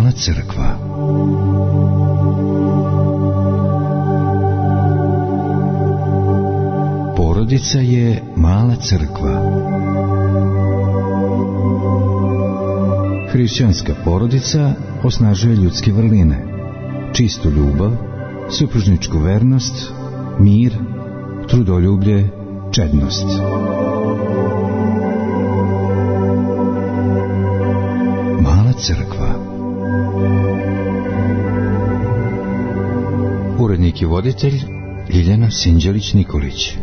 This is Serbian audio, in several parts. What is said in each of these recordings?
Mala crkva. Porodica je mala crkva. Hrišćanska porodica osnažuje ljudske vrline, čistu ljubav, supružničku vernost, mir, trudoljublje, čednost. Mala crkva. Urednik i voditelj Ljiljana Sinđelić-Nikolić.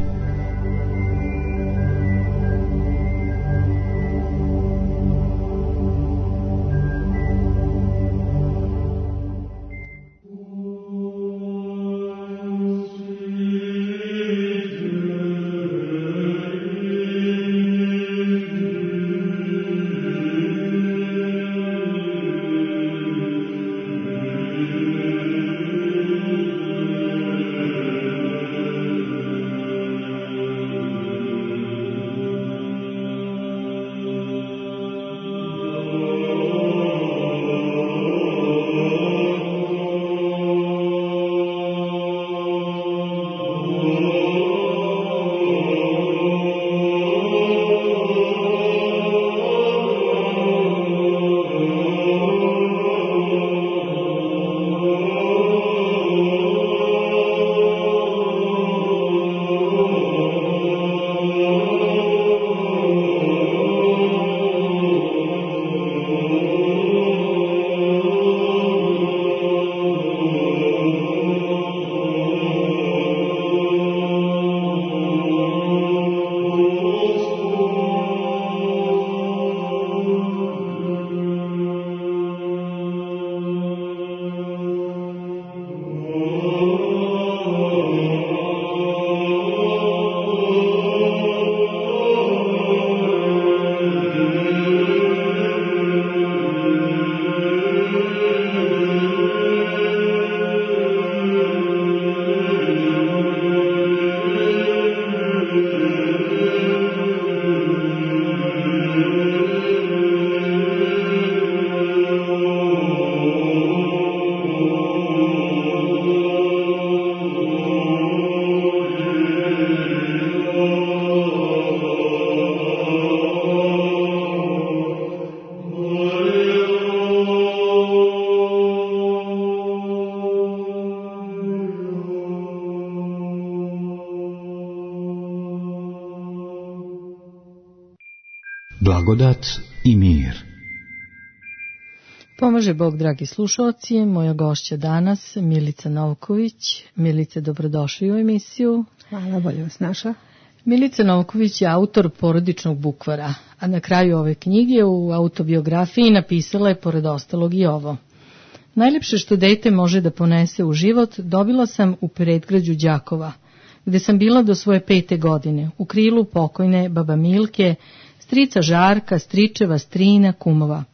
Blagodat i mir. Pomaže Bog, dragi slušalci, moja gošća danas, Milica Novković. Milice, dobrodošli u emisiju. Hvala, bolje vas naša. Milica Novković je autor porodičnog bukvara, a na kraju ove knjige u autobiografiji napisala je pored ostalog i ovo. Najlepše što dete može da ponese u život dobila sam u predgrađu Đakova, gde sam bila do svoje 5. godine, u krilu pokojne baba Milke, strica Žarka, stričeva, strina, kumova.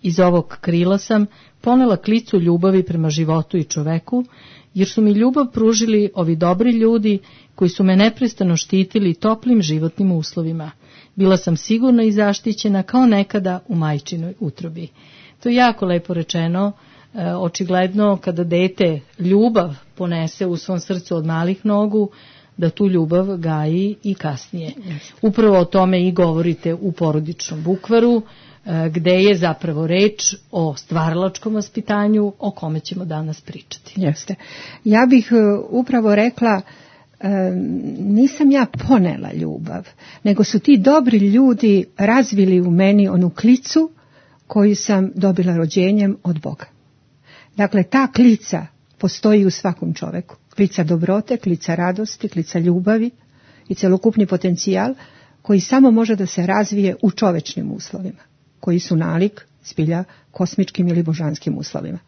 Iz ovog krila sam ponela klicu ljubavi prema životu i čoveku, jer su mi ljubav pružili ovi dobri ljudi koji su me neprestano štitili toplim životnim uslovima. Bila sam sigurna i zaštićena kao nekada u majčinoj utrobi. To je jako lepo rečeno. Očigledno kada dete ljubav ponese u svom srcu od malih nogu, da tu ljubav gaji i kasnije. Upravo o tome i govorite u porodičnom bukvaru, gde je zapravo reč o stvaralačkom vaspitanju o kome ćemo danas pričati. Jeste. Ja bih upravo rekla, nisam ja ponela ljubav, nego su ti dobri ljudi razvili u meni onu klicu koju sam dobila rođenjem od Boga. Dakle, ta klica postoji u svakom čoveku. Klica dobrote, klica radosti, klica ljubavi i celokupni potencijal koji samo može da se razvije u čovečnim uslovima, koji su nalik zbilja kosmičkim ili božanskim uslovima.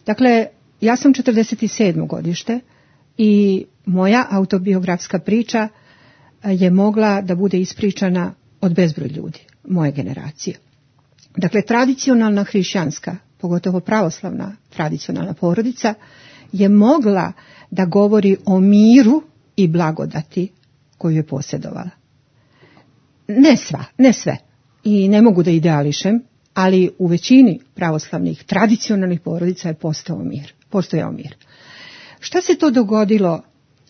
Dakle, ja sam 47. godište i moja autobiografska priča je mogla da bude ispričana od bezbroj ljudi, moje generacije. Dakle, tradicionalna hrišćanska, pogotovo pravoslavna tradicionalna porodica, je mogla da govori o miru i blagodati koju je posjedovala. Ne sve. I ne mogu da ideališem, ali u većini pravoslavnih tradicionalnih porodica je postojao mir. Šta se to dogodilo?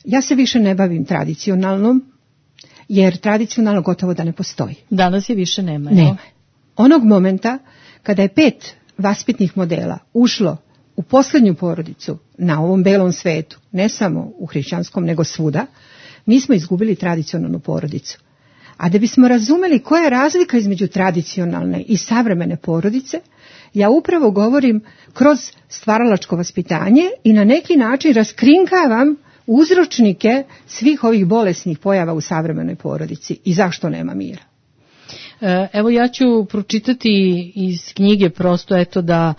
Ja se više ne bavim tradicionalnom, jer tradicionalno gotovo da ne postoji. Danas je više nema. Nema. Onog momenta kada je 5 vaspitnih modela ušlo u posljednju porodicu na ovom belom svetu, ne samo u hrišćanskom, nego svuda, mi smo izgubili tradicionalnu porodicu. A da bismo razumeli koja je razlika između tradicionalne i savremene porodice, ja upravo govorim kroz stvaralačko vaspitanje i na neki način raskrinkavam uzročnike svih ovih bolesnih pojava u savremenoj porodici i zašto nema mira. Evo ja ću pročitati iz knjige prosto eto da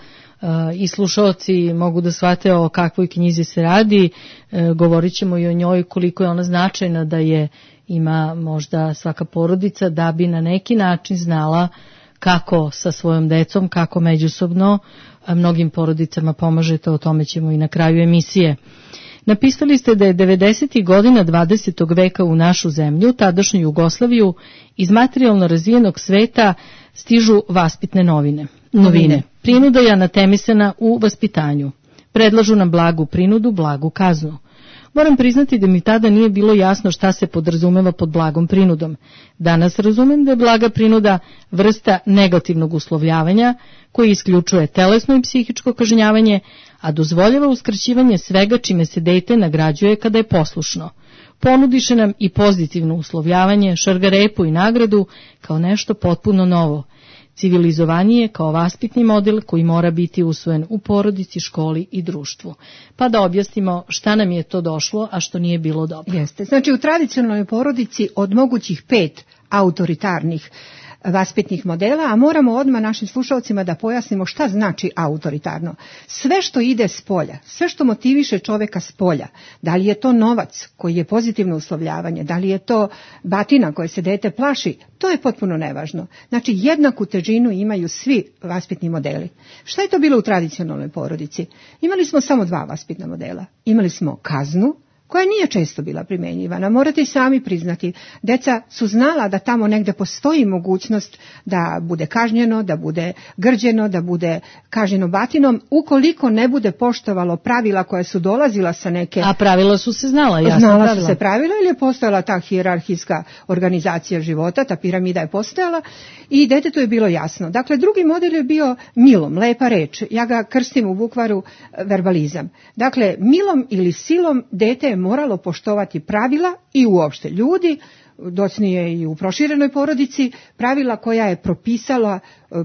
i slušalci mogu da shvate o kakvoj knjizi se radi. Govorit ćemo i o njoj koliko je ona značajna da je ima možda svaka porodica da bi na neki način znala kako sa svojom decom, kako međusobno mnogim porodicama pomažete, o tome ćemo i na kraju emisije. Napisali ste da je 90. godina 20. veka u našu zemlju, tadašnju Jugoslaviju, iz materijalno razvijenog sveta stižu vaspitne novine. Prinuda je anatemisana u vaspitanju. Predlažu nam blagu prinudu, blagu kaznu. Moram priznati da mi tada nije bilo jasno šta se podrazumeva pod blagom prinudom. Danas razumem da je blaga prinuda vrsta negativnog uslovljavanja koji isključuje telesno i psihičko kažnjavanje, a dozvoljava uskraćivanje svega čime se dete nagrađuje kada je poslušno. Ponudiše nam i pozitivno uslovljavanje, šargarepu i nagradu kao nešto potpuno novo. Civilizovanije kao vaspitni model koji mora biti usvojen u porodici, školi i društvu. Pa da objasnimo šta nam je to došlo, a što nije bilo dobro. Jeste. Znači u tradicionalnoj porodici od mogućih 5 autoritarnih vaspitnih modela, a moramo odmah našim slušalcima da pojasnimo šta znači autoritarno. Sve što ide s polja, sve što motiviše čoveka s polja, da li je to novac koji je pozitivno uslovljavanje, da li je to batina koje se dete plaši, to je potpuno nevažno. Znači jednaku težinu imaju svi vaspitni modeli. Šta je to bilo u tradicionalnoj porodici? Imali smo samo 2 vaspitna modela. Imali smo kaznu, koja nije često bila primjenjivana. Morate i sami priznati, deca su znala da tamo negde postoji mogućnost da bude kažnjeno, da bude grđeno, da bude kažnjeno batinom, ukoliko ne bude poštovalo pravila koja su dolazila sa neke... A pravila su se znala, jasno znala pravila. Su se pravila ili je postojala ta hijerarhijska organizacija života, ta piramida je postojala i detetu je bilo jasno. Dakle, drugi model je bio milom, lepa reč. Ja ga krstim u bukvaru verbalizam. Dakle, milom ili silom dete je moralo poštovati pravila i uopšte ljudi, docnije i u proširenoj porodici, pravila koja je propisala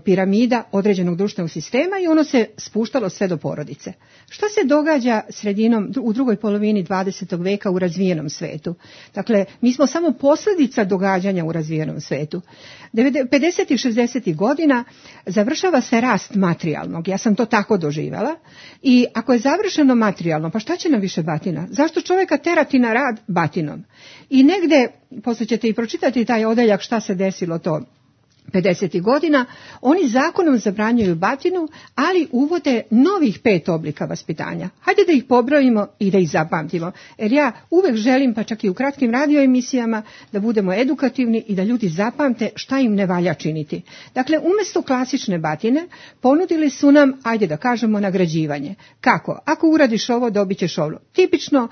piramida određenog društvenog sistema i ono se spuštalo sve do porodice. Šta se događa u drugoj polovini 20. veka u razvijenom svetu? Dakle, mi smo samo posljedica događanja u razvijenom svetu. 50. i 60. godina završava se rast materijalnog, ja sam to tako doživjela, i ako je završeno materijalno, pa šta će nam više batina? Zašto čovjeka terati na rad batinom? I negde, poslije ćete i pročitati taj odeljak šta se desilo to 50. godina, oni zakonom zabranjuju batinu, ali uvode novih 5 oblika vaspitanja. Hajde da ih pobrojimo i da ih zapamtimo. Jer ja uvek želim, pa čak i u kratkim radio emisijama, da budemo edukativni i da ljudi zapamte šta im ne valja činiti. Dakle, umjesto klasične batine, ponudili su nam, ajde da kažemo, nagrađivanje. Kako? Ako uradiš ovo, dobit ćeš ovo. Tipično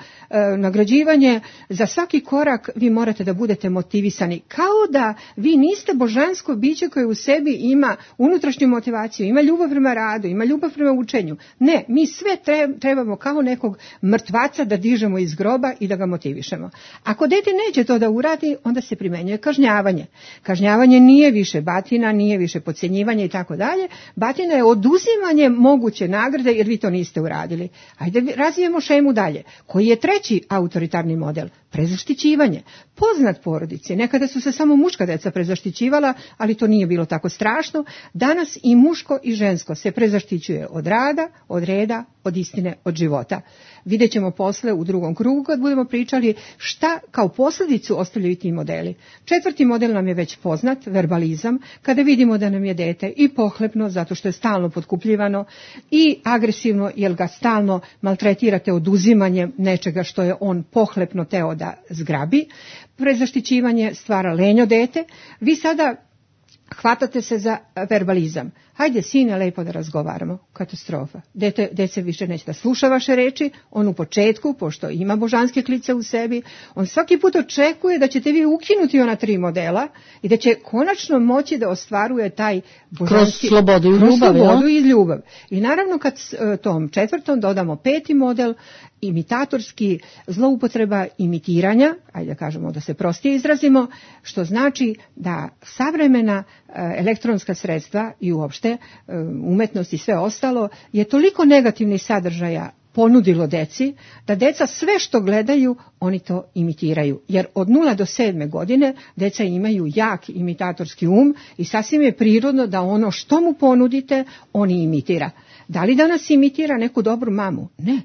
nagrađivanje, za svaki korak vi morate da budete motivisani. Kao da vi niste božansko biće koje u sebi ima unutrašnju motivaciju, ima ljubav prema radu, ima ljubav prema učenju. Ne, mi sve trebamo kao nekog mrtvaca da dižemo iz groba i da ga motivišemo. Ako dete neće to da uradi, onda se primenjuje kažnjavanje. Kažnjavanje nije više batina, nije više podcjenjivanje i tako dalje. Batina je oduzimanje moguće nagrade jer vi to niste uradili. Ajde razvijemo šemu dalje. Koji je treći autoritarni model? Prezaštićivanje. Poznat porodici. Nekada su se samo muška deca prezaštićivala, ali to nije bilo tako strašno. Danas i muško i žensko se prezaštićuje od rada, od reda, od istine, od života. Vidjet ćemo posle u drugom krugu kad budemo pričali šta kao posljedicu ostavljaju ti modeli. 4. model nam je već poznat, verbalizam, kada vidimo da nam je dete i pohlepno zato što je stalno potkupljivano i agresivno jer ga stalno maltretirate oduzimanjem nečega što je on pohlepno teo da zgrabi. Prezaštićivanje stvara lenjo dete. Vi sada hvatate se za verbalizam. Hajde, sine, lepo da razgovaramo. Katastrofa. Dete više neće da sluša vaše reči. On u početku, pošto ima božanske klice u sebi, on svaki put očekuje da ćete vi ukinuti ona 3 modela i da će konačno moći da ostvaruje taj božanski... Kroz slobodu i ljubav. I naravno kad tom 4. dodamo 5. model, imitatorski, zloupotreba imitiranja, ajde da kažemo da se prostije izrazimo, što znači da savremena elektronska sredstva i uopšte umetnost i sve ostalo je toliko negativnih sadržaja ponudilo deci, da deca sve što gledaju, oni to imitiraju. Jer od 0 do 7 godine deca imaju jak imitatorski i sasvim je prirodno da ono što mu ponudite, on imitira. Da li danas imitira neku dobru mamu? Ne.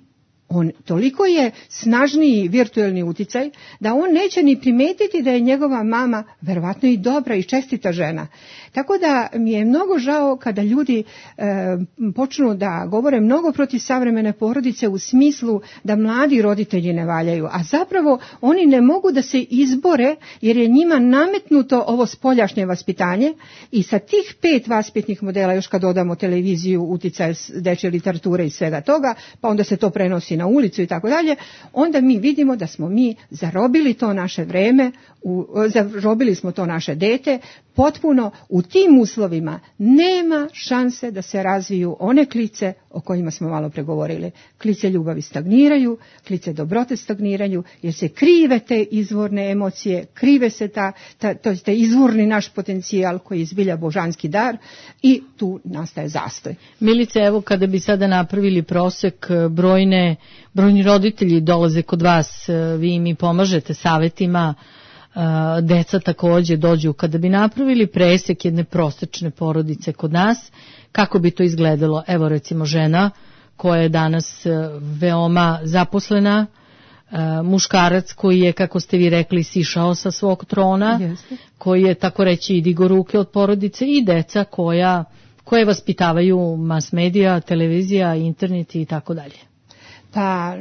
On toliko je snažniji virtuelni uticaj da on neće ni primetiti da je njegova mama verovatno i dobra i čestita žena. Tako da mi je mnogo žao kada ljudi počnu da govore mnogo protiv savremene porodice u smislu da mladi roditelji ne valjaju, a zapravo oni ne mogu da se izbore jer je njima nametnuto ovo spoljašnje vaspitanje i sa tih 5 vaspitnih modela, još kad dodamo televiziju, uticaj dečje literature i svega toga, pa onda se to prenosi na ulicu i tako dalje, onda mi vidimo da smo mi zarobili to naše vreme, zarobili smo to naše dete, potpuno u tim uslovima nema šanse da se razviju one klice o kojima smo malo pregovorili. Klice ljubavi stagniraju, klice dobrote stagniraju, jer se krive te izvorne emocije, krive se taj izvorni naš potencijal koji je zbilja božanski dar i tu nastaje zastoj. Milice, evo kada bi sada napravili prosek, brojni roditelji dolaze kod vas, vi mi pomažete savjetima, deca također dođu. Kada bi napravili presek jedne prosečne porodice kod nas, kako bi to izgledalo? Evo recimo žena koja je danas veoma zaposlena, muškarac koji je, kako ste vi rekli, sišao sa svog trona, koji je, tako reći, digo ruke od porodice, i deca koje vaspitavaju mas medija, televizija, internet i tako dalje. Pa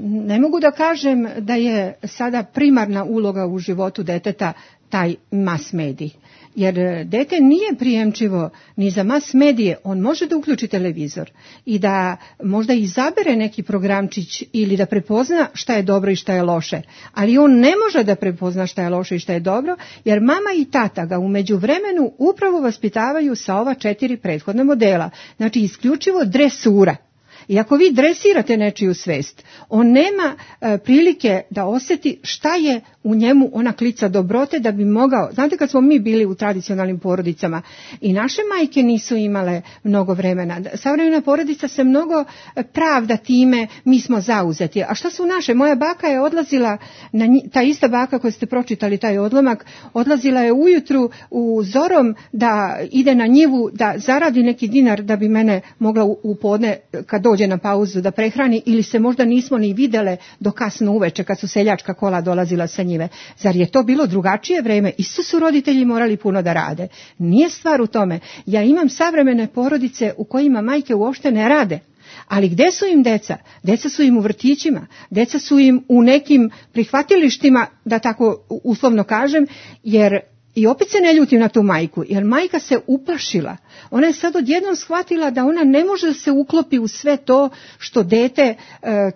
ne mogu da kažem da je sada primarna uloga u životu deteta taj mas medij. Jer dete nije prijemčivo ni za mas medije, on može da uključi televizor i da možda izabere neki programčić ili da prepozna šta je dobro i šta je loše, ali on ne može da prepozna šta je loše i šta je dobro, jer mama i tata ga u međuvremenu upravo vaspitavaju sa ova 4 prethodna modela, znači isključivo dresura. I ako vi dresirate nečiju svest, on nema prilike da osjeti šta je u njemu ona klica dobrote da bi mogao. Znate, kad smo mi bili u tradicionalnim porodicama i naše majke nisu imale mnogo vremena. Savremena porodica se mnogo pravda time, mi smo zauzeti. A šta su naše? Moja baka je odlazila, ta ista baka koju ste pročitali taj odlomak, odlazila je ujutru u zorom da ide na njivu, da zaradi neki dinar da bi mene mogla u podne kad dođe na pauzu da prehrani, ili se možda nismo ni videle do kasno uveče kad su seljačka kola dolazila sa njive. Zar je to bilo drugačije vreme? Isto su roditelji morali puno da rade. Nije stvar u tome. Ja imam savremene porodice u kojima majke uopšte ne rade. Ali gde su im deca? Deca su im u vrtićima, deca su im u nekim prihvatilištima, da tako uslovno kažem, jer i opet se ne ljutim na tu majku, jer majka se uplašila. Ona je sad odjednom shvatila da ona ne može da se uklopi u sve to što dete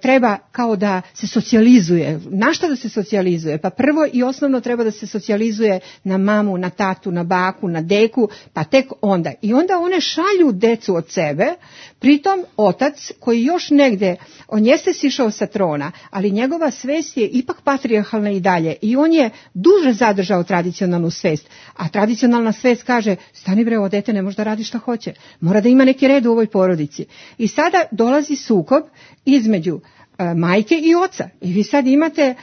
treba kao da se socijalizuje. Na šta da se socijalizuje? Pa prvo i osnovno treba da se socijalizuje na mamu, na tatu, na baku, na deku, pa tek onda. I onda one šalju decu od sebe, pritom otac koji još negde, on jeste sišao sa trona, ali njegova svest je ipak patrijarhalna i dalje i on je duže zadržao tradicionalnu svest. A tradicionalna svest kaže, stani bre, ovo dete ne može da radi šta hoće. Mora da ima neki red u ovoj porodici. I sada dolazi sukob između majke i oca. I vi sad imate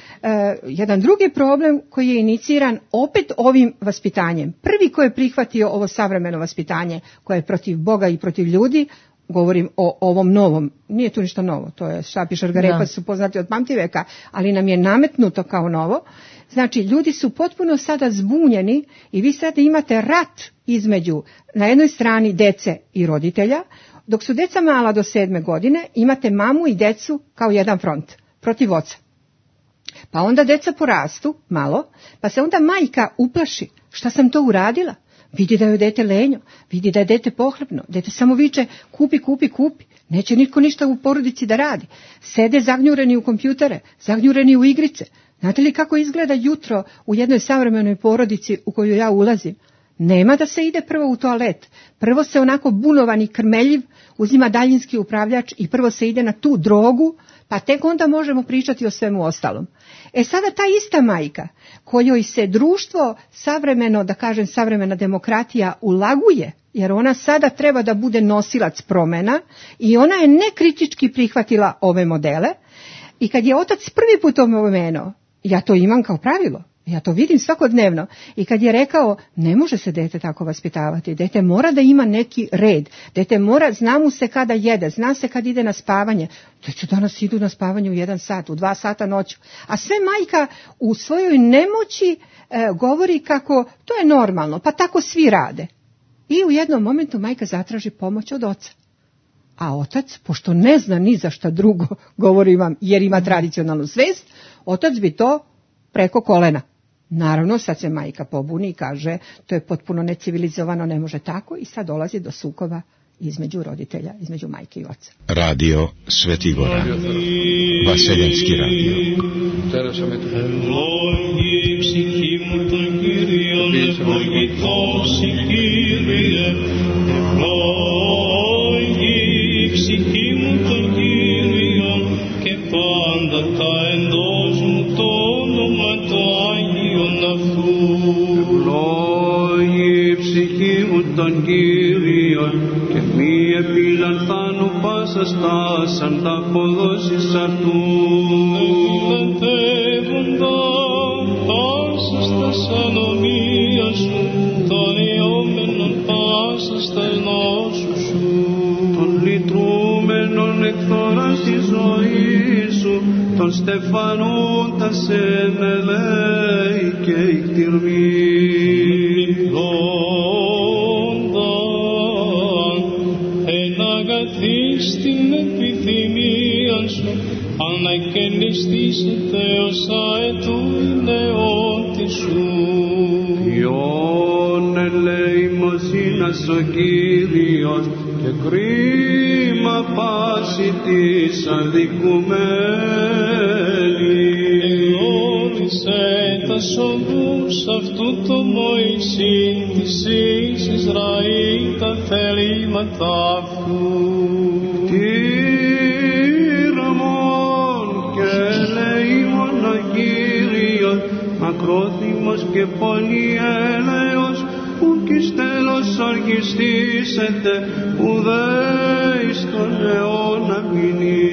jedan drugi problem koji je iniciran opet ovim vaspitanjem. Prvi ko je prihvatio ovo savremeno vaspitanje, koje je protiv Boga i protiv ljudi, govorim o ovom novom, nije tu ništa novo, to je šapi šargarepa, su poznati od pamtiveka, ali nam je nametnuto kao novo. Znači, ljudi su potpuno sada zbunjeni i vi sada imate rat između, na jednoj strani, dece i roditelja, dok su deca mala do 7. godine, imate mamu i decu kao jedan front, protiv oca. Pa onda deca porastu malo, pa se onda majka uplaši, šta sam to uradila? Vidi da je dete lenjo, vidi da je dete pohlepno, dete samo viče kupi, kupi, kupi. Neće nitko ništa u porodici da radi. Sede zagnjureni u kompjutere, zagnjureni u igrice. Znate li kako izgleda jutro u jednoj savremenoj porodici u koju ja ulazim? Nema da se ide prvo u toalet. Prvo se onako bunovan i krmeljiv uzima daljinski upravljač i prvo se ide na tu drogu, pa tek onda možemo pričati o svemu ostalom. Sada ta ista majka, kojoj se društvo savremeno, da kažem savremena demokratija, ulaguje, jer ona sada treba da bude nosilac promjena i ona je nekritički prihvatila ove modele, i kad je otac prvi put opomenuo, ja to imam kao pravilo, ja to vidim svakodnevno, i kad je rekao ne može se dete tako vaspitavati, dete mora da ima neki red, dete mora, zna mu se kada jede, zna se kad ide na spavanje, djeca danas idu na spavanje u 1 sat, u 2 sata noću, a sve majka u svojoj nemoći govori kako to je normalno, pa tako svi rade. I u jednom momentu majka zatraži pomoć od oca. A otac, pošto ne zna ni za šta drugo, govori vam jer ima tradicionalnu svest, otac bi to preko kolena. Naravno, sad se majka pobuni i kaže to je potpuno necivilizovano, ne može tako, i sad dolazi do sukoba između roditelja, između majke i oca. Radio Sveti Gora, Vaseljenski radio. Τον Κύριον και μη επιλανθάνω πάσα στάσαν τα αποδόσεις αυτού. Επιλαντεύοντα πάσα στα σανομία σου, των ιόμενων πάσα στα ενώσου σου, των λυτρούμενων εκθόρας τη ζωή σου, των στεφανούντα σε μελέη και ικτυρμή. Στην επιθυμία σου ανακαινιστείς Θεός αετού νεότη σου. Ποιον ελεημοσύνας ο Κύριος και κρίμα πάση της αδικουμένη. Εγνώρισε τα σοβούς αυτού το Μωυσή της εις Ισραήλ τα θελήματα αυτού. Μακρόθυμος και πολυέλεος, που κι στέλος οργιστήσετε, ουδέ εις τον αιώνα μηνύ.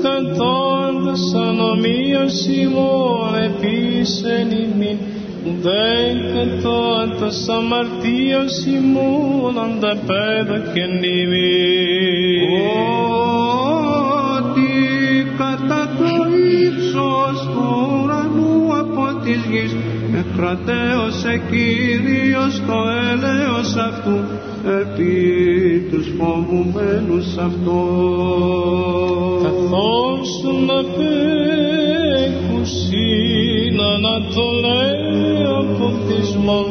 Κατώντας ανομίας ημών επίσεν ημίν, ουδέ κατώντας αμαρτίας ημών ανταπέδωκεν ημίν. Κατά το ύψος του ουρανού από της γης εκρατέωσε Κύριος το έλεος αυτού επί τους φοβουμένους αυτό. Καθώς να πέκουσιν ανατολέ από θυσμόν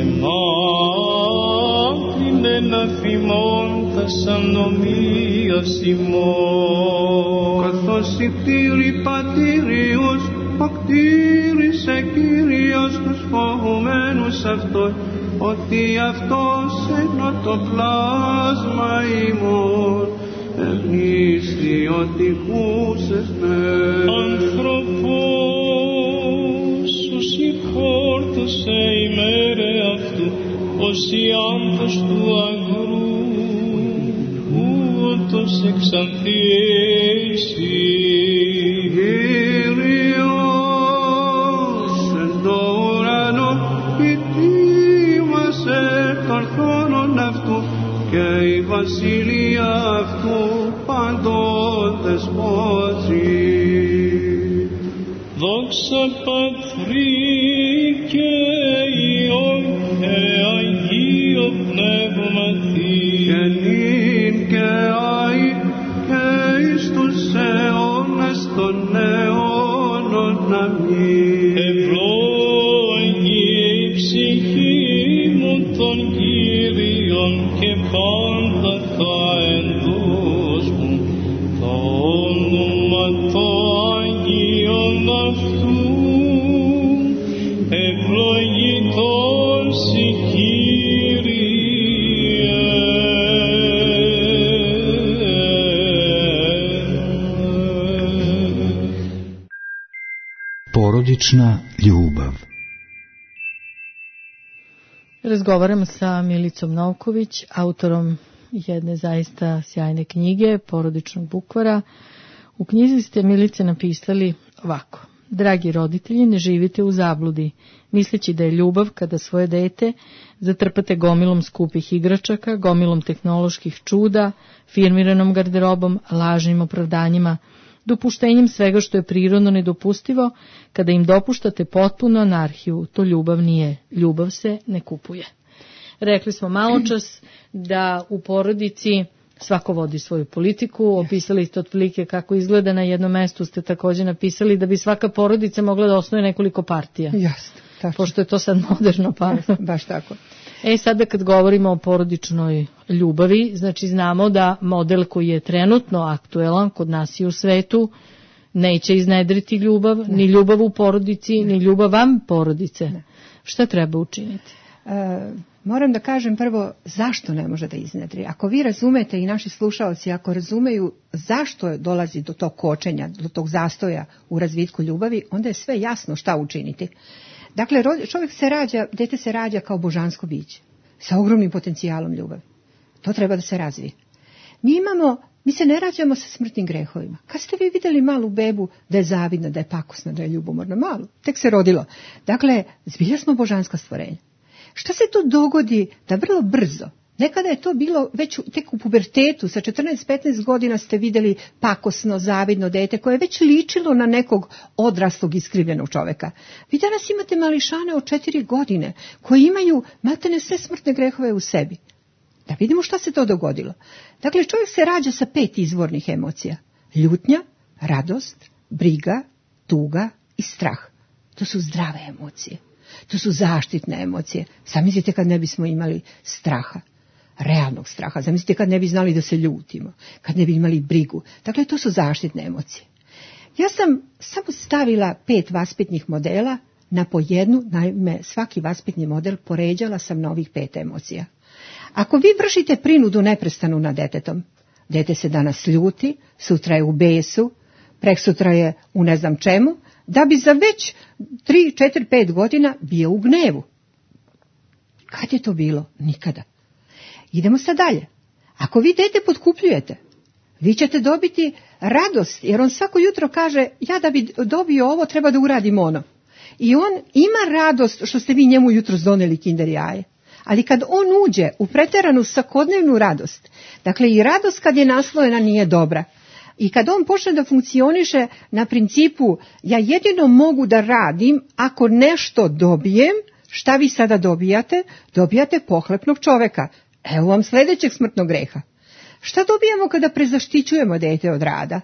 εμάκρινεν αφημών τας ανομίας ημών. Καθώς οι κτήροι πατήριους οκτήρισε Κύριος τους φοβουμένους αυτόν, ότι αυτός ενώ το πλάσμα ημών ευνίσθη ότι χούσες με. Ανθρωπός σου συγχόρτωσε ημέρε αυτού, ως η άμπος του αγρού, ούτως εξανθίσει. Κύριος εν το ουρανό ητήμασε των θρόνων αυτού και η βασιλεία αυτού παντών δεσπόζει. Δόξα Πατρί και Υιόν και Αγίο Πνεύματι, και νυν και αεί και εις τους αιώνας των αιώνων. Αμήν. Porodična ljubav. Razgovaram sa Milicom Novković, autorom jedne zaista sjajne knjige, Porodičnog bukvara. U knjizi ste, Milice, napisali ovako: dragi roditelji, ne živite u zabludi, misleći da je ljubav kada svoje dete zatrpate gomilom skupih igračaka, gomilom tehnoloških čuda, firmiranom garderobom, lažnim opravdanjima, dopuštenjem svega što je prirodno nedopustivo. Kada im dopuštate potpunu anarhiju, to ljubav nije. Ljubav se ne kupuje. Rekli smo maločas da u porodici svako vodi svoju politiku, opisali ste otprilike kako izgleda. Na jednom mestu ste također napisali da bi svaka porodica mogla da osnuje nekoliko partija. Jasno, tačno. Pošto je to sad moderno pa. Baš tako. Sada kad govorimo o porodičnoj ljubavi, znači znamo da model koji je trenutno aktuelan kod nas i u svetu neće iznedriti ljubav, ni ljubav u porodici, ni ljubav van porodice. Šta treba učiniti? Moram da kažem prvo zašto ne može da iznedri. Ako vi razumete i naši slušaoci, ako razumeju zašto dolazi do tog kočenja, do tog zastoja u razvitku ljubavi, onda je sve jasno šta učiniti. Dakle, čovjek se rađa, dete se rađa kao božansko biće, sa ogromnim potencijalom ljubavi. To treba da se razvije. Mi se ne rađamo sa smrtnim grehovima. Kad ste vi vidjeli malu bebu da je zavidna, da je pakosna, da je ljubomorna? Malu, tek se rodilo. Dakle, zbilja smo božanska stvorenja. Šta se to dogodi da vrlo brzo, nekada je to bilo već tek u pubertetu, sa 14-15 godina ste vidjeli pakosno, zavidno dete koje je već ličilo na nekog odraslog iskrivljenog čovjeka. Vi danas imate mališane od 4 godine koji imaju maltene sve smrtne grehove u sebi. Da vidimo šta se to dogodilo. Dakle, čovjek se rađa sa 5 izvornih emocija. Ljutnja, radost, briga, tuga i strah. To su zdrave emocije. To su zaštitne emocije. Zamislite kad ne bismo imali straha, realnog straha. Zamislite kad ne bi znali da se ljutimo, kad ne bi imali brigu. Dakle, to su zaštitne emocije. Ja sam samo stavila 5 vaspitnih modela na po jednu, naime svaki vaspitni model poređala sam na ovih 5 emocija. Ako vi vršite prinudu neprestanu nad detetom, dete se danas ljuti, sutra je u besu, preksutra je u ne znam čemu, da bi za već 3, 4, 5 godina bio u gnevu. Kad je to bilo? Nikada. Idemo sad dalje. Ako vi dete potkupljujete, vi ćete dobiti radost, jer on svako jutro kaže, ja da bi dobio ovo, treba da uradim ono. I on ima radost što ste vi njemu jutro doneli kinder jaje. Ali kad on uđe u preteranu svakodnevnu radost, dakle i radost kad je naslojena nije dobra, i kad on počne da funkcioniše na principu ja jedino mogu da radim ako nešto dobijem, šta vi sada dobijate? Dobijate pohlepnog čoveka. Evo vam sljedećeg smrtnog greha. Šta dobijamo kada prezaštićujemo dete od rada?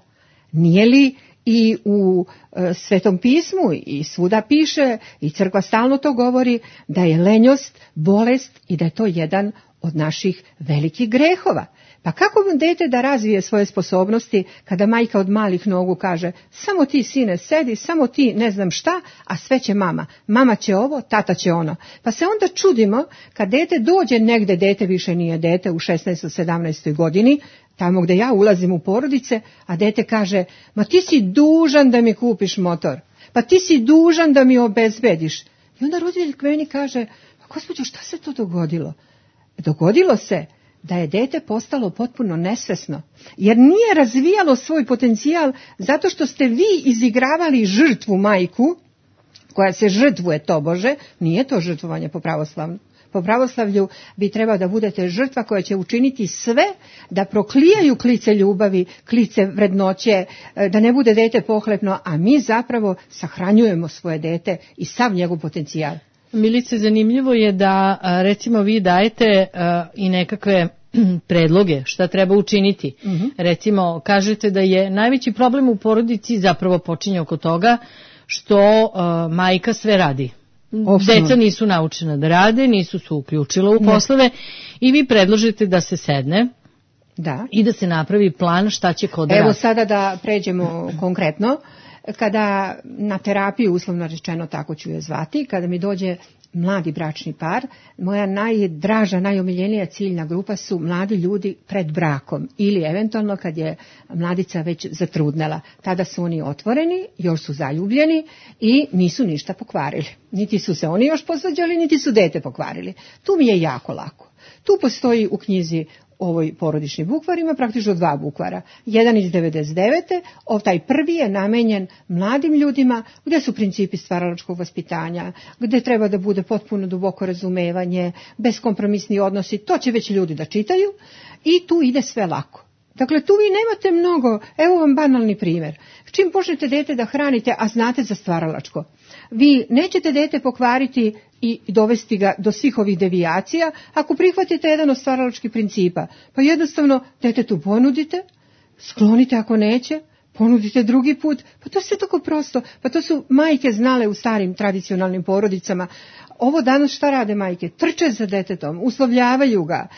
Nije li i u Svetom pismu i svuda piše i crkva stalno to govori da je lenjost bolest i da je to jedan od naših velikih grehova. Pa kako dete da razvije svoje sposobnosti kada majka od malih nogu kaže samo ti sine sedi, samo ti ne znam šta, a sve će mama. Mama će ovo, tata će ono. Pa se onda čudimo kad dete dođe negde, dete više nije dete u 16. 17. godini, tamo gde ja ulazim u porodice, a dete kaže, ma ti si dužan da mi kupiš motor, pa ti si dužan da mi obezbediš. I onda roditelj k meni kaže, gospođo, šta se to dogodilo? Dogodilo se da je dete postalo potpuno nesvesno, jer nije razvijalo svoj potencijal zato što ste vi izigravali žrtvu majku, koja se žrtvuje tobože, nije to žrtvovanje po pravoslavnu. Po pravoslavlju bi trebao da budete žrtva koja će učiniti sve da proklijaju klice ljubavi, klice vrednoće, da ne bude dete pohlepno, a mi zapravo sahranjujemo svoje dete i sav njegov potencijal. Milice, zanimljivo je da recimo vi dajete i nekakve predloge šta treba učiniti. Recimo, kažete da je najveći problem u porodici zapravo počinje oko toga što majka sve radi. Deca nisu naučena da rade, nisu se uključila u poslove i vi predložite da se sedne i da se napravi plan šta će ko da radi. Evo sada da pređemo konkretno. Kada na terapiju, uslovno rečeno tako ću je zvati, kada mi dođe mladi bračni par, moja najdraža, najomiljenija ciljna grupa su mladi ljudi pred brakom ili eventualno kad je mladica već zatrudnela. Tada su oni otvoreni, još su zaljubljeni i nisu ništa pokvarili. Niti su se oni još posvađali, niti su dete pokvarili. Tu mi je jako lako. Tu postoji u knjizi ovoj porodični bukvar, ima praktično 2 bukvara. Jedan iz 99. Taj prvi je namenjen mladim ljudima gdje su principi stvaralačkog vaspitanja, gdje treba da bude potpuno duboko razumevanje, beskompromisni odnosi, to će već ljudi da čitaju i tu ide sve lako. Dakle, tu vi nemate mnogo, evo vam banalni primjer. Čim počnete dete da hranite, a znate za stvaralačko, vi nećete dete pokvariti i dovesti ga do svih ovih devijacija ako prihvatite jedan od stvaralačkih principa. Pa jednostavno detetu ponudite, sklonite ako neće, ponudite drugi put, pa to je sve tako prosto, pa to su majke znale u starim tradicionalnim porodicama. Ovo danas šta rade majke? Trče za detetom, uslovljavaju ga,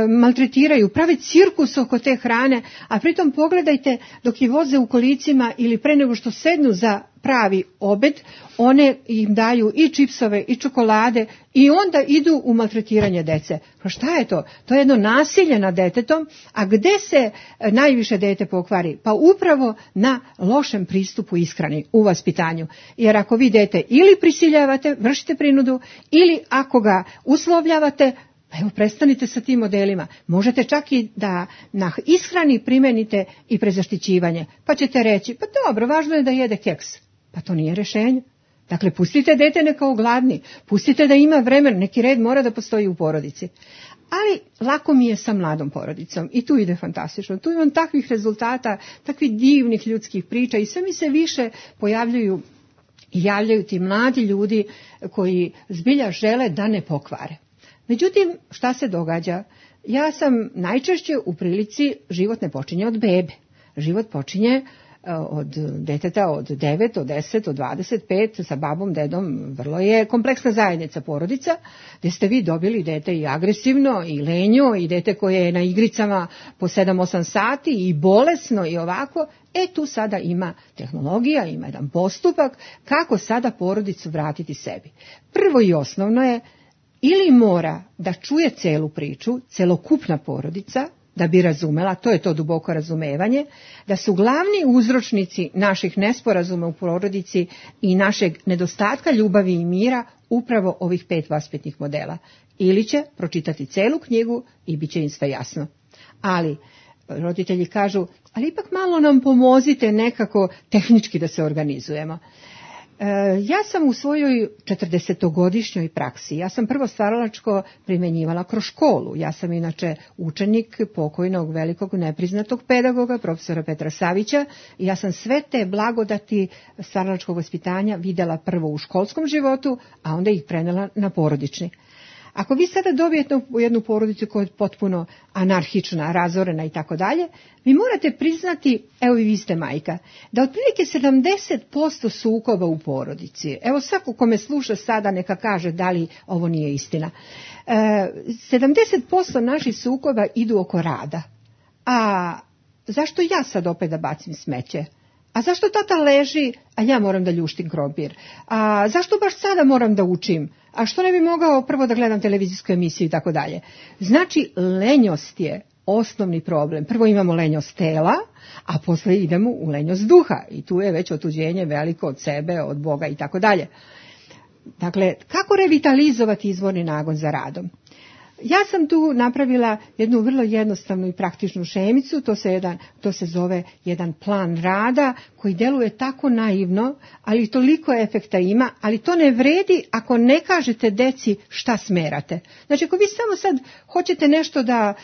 maltretiraju, prave cirkus oko te hrane, a pritom pogledajte dok je voze u kolicima ili pre nego što sednu za pravi obed, one im daju i čipsove i čokolade i onda idu u maltretiranje dece. Pa šta je to? To je jedno nasilje nad detetom, a gde se najviše dete pokvari? Pa upravo na lošem pristupu ishrani u vaspitanju. Jer ako vi dete ili prisiljavate, vršite prinudu, ili ako ga uslovljavate, pa evo, prestanite sa tim modelima. Možete čak i da na ishrani primenite i prezaštićivanje. Pa ćete reći, pa dobro, važno je da jede keks. Pa to nije rješenje. Dakle, pustite dete neka ogladni, pustite da ima vremen, neki red mora da postoji u porodici. Ali lako mi je sa mladom porodicom i tu ide fantastično. Tu imam takvih rezultata, takvih divnih ljudskih priča i sve mi se više pojavljuju i javljaju ti mladi ljudi koji zbilja žele da ne pokvare. Međutim, šta se događa? Ja sam najčešće u prilici, život ne počinje od bebe. Život počinje od deteta od 9, od 10, od 25, sa babom, dedom, vrlo je kompleksna zajednica, porodica, gdje ste vi dobili dete i agresivno, i lenjo, i dete koje je na igricama po 7-8 sati, i bolesno, i ovako. Tu sada ima tehnologija, ima jedan postupak kako sada porodicu vratiti sebi. Prvo i osnovno je, ili mora da čuje celu priču, celokupna porodica, da bi razumela, to je to duboko razumevanje, da su glavni uzročnici naših nesporazuma u porodici i našeg nedostatka ljubavi i mira upravo ovih 5 vaspitnih modela. Ili će pročitati celu knjigu i bit će im sve jasno. Ali roditelji kažu, ali ipak malo nam pomozite nekako tehnički da se organizujemo. Ja sam u svojoj 40-godišnjoj praksi, ja sam prvo stvaralačko primjenjivala kroz školu. Ja sam inače učenik pokojnog velikog nepriznatog pedagoga, profesora Petra Savića, i ja sam sve te blagodati stvaralačkog vaspitanja vidjela prvo u školskom životu, a onda ih prenela na porodični. Ako vi sada dobijete jednu porodicu koja je potpuno anarhična, razorena i tako dalje, vi morate priznati, evo i vi ste majka, da otprilike 70% sukoba u porodici, evo svako ko me sluša sada neka kaže da li ovo nije istina, 70% naših sukoba idu oko rada. A zašto ja sad opet da bacim smeće? A zašto tata leži, a ja moram da ljuštim krompir? A zašto baš sada moram da učim? A što ne bi mogao prvo da gledam televizijsku emisiju i tako dalje? Znači, lenjost je osnovni problem. Prvo imamo lenjost tela, a posle idemo u lenjost duha. I tu je već otuđenje veliko od sebe, od Boga i tako dalje. Dakle, kako revitalizovati izvorni nagon za radom? Ja sam tu napravila jednu vrlo jednostavnu i praktičnu šemicu, to se zove jedan plan rada koji deluje tako naivno, ali toliko efekta ima, ali to ne vredi ako ne kažete deci šta smerate. Znači ako vi samo sad hoćete nešto da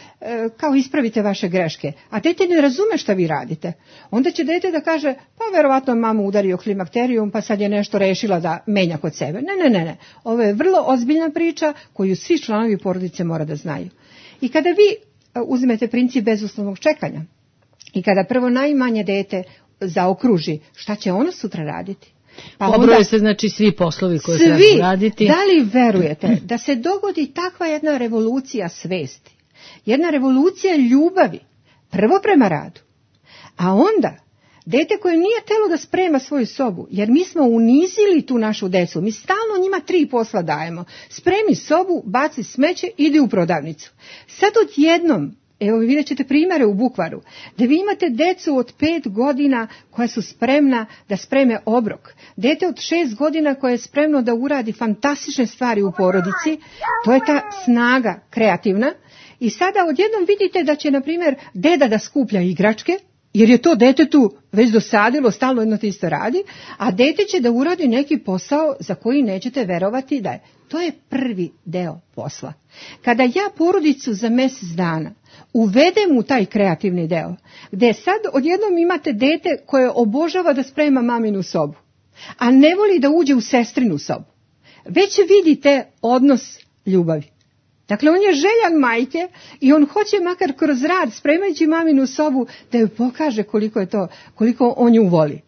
kao ispravite vaše greške, a dete ne razume šta vi radite, onda će dete da kaže pa verovatno mamu udario klimakterijum pa sad je nešto rešila da menja kod sebe. Ne. Ovo je vrlo ozbiljna priča koju svi članovi porodice mora da znaju. I kada vi uzmete princip bezuslovnog čekanja i kada prvo najmanje dete zaokruži šta će ono sutra raditi, pa pobroje se znači svi poslovi koje treba raditi. Da li verujete da se dogodi takva jedna revolucija svesti, jedna revolucija ljubavi, prvo prema radu, a onda Dete koje nije htjelo da sprema svoju sobu, jer mi smo unizili tu našu decu, mi stalno njima 3 posla dajemo. Spremi sobu, baci smeće, idi u prodavnicu. Sad odjednom, evo vidjet ćete primjere u bukvaru, da vi imate decu od 5 godina koja su spremna da spreme obrok. Dete od 6 godina koje je spremno da uradi fantastične stvari u porodici, to je ta snaga kreativna. I sada odjednom vidite da će, na primjer, deda da skuplja igračke, jer je to detetu već dosadilo, stalno jedno te isto radi, a dete će da uradi neki posao za koji nećete verovati da je. To je prvi deo posla. Kada ja porodicu za mjesec dana uvedem u taj kreativni deo, gdje sad odjednom imate dete koje obožava da sprema maminu sobu, a ne voli da uđe u sestrinu sobu, već vidite odnos ljubavi. Dakle, on je željan majke i on hoće makar kroz rad, spremajući maminu sobu, da joj pokaže koliko on nju voli.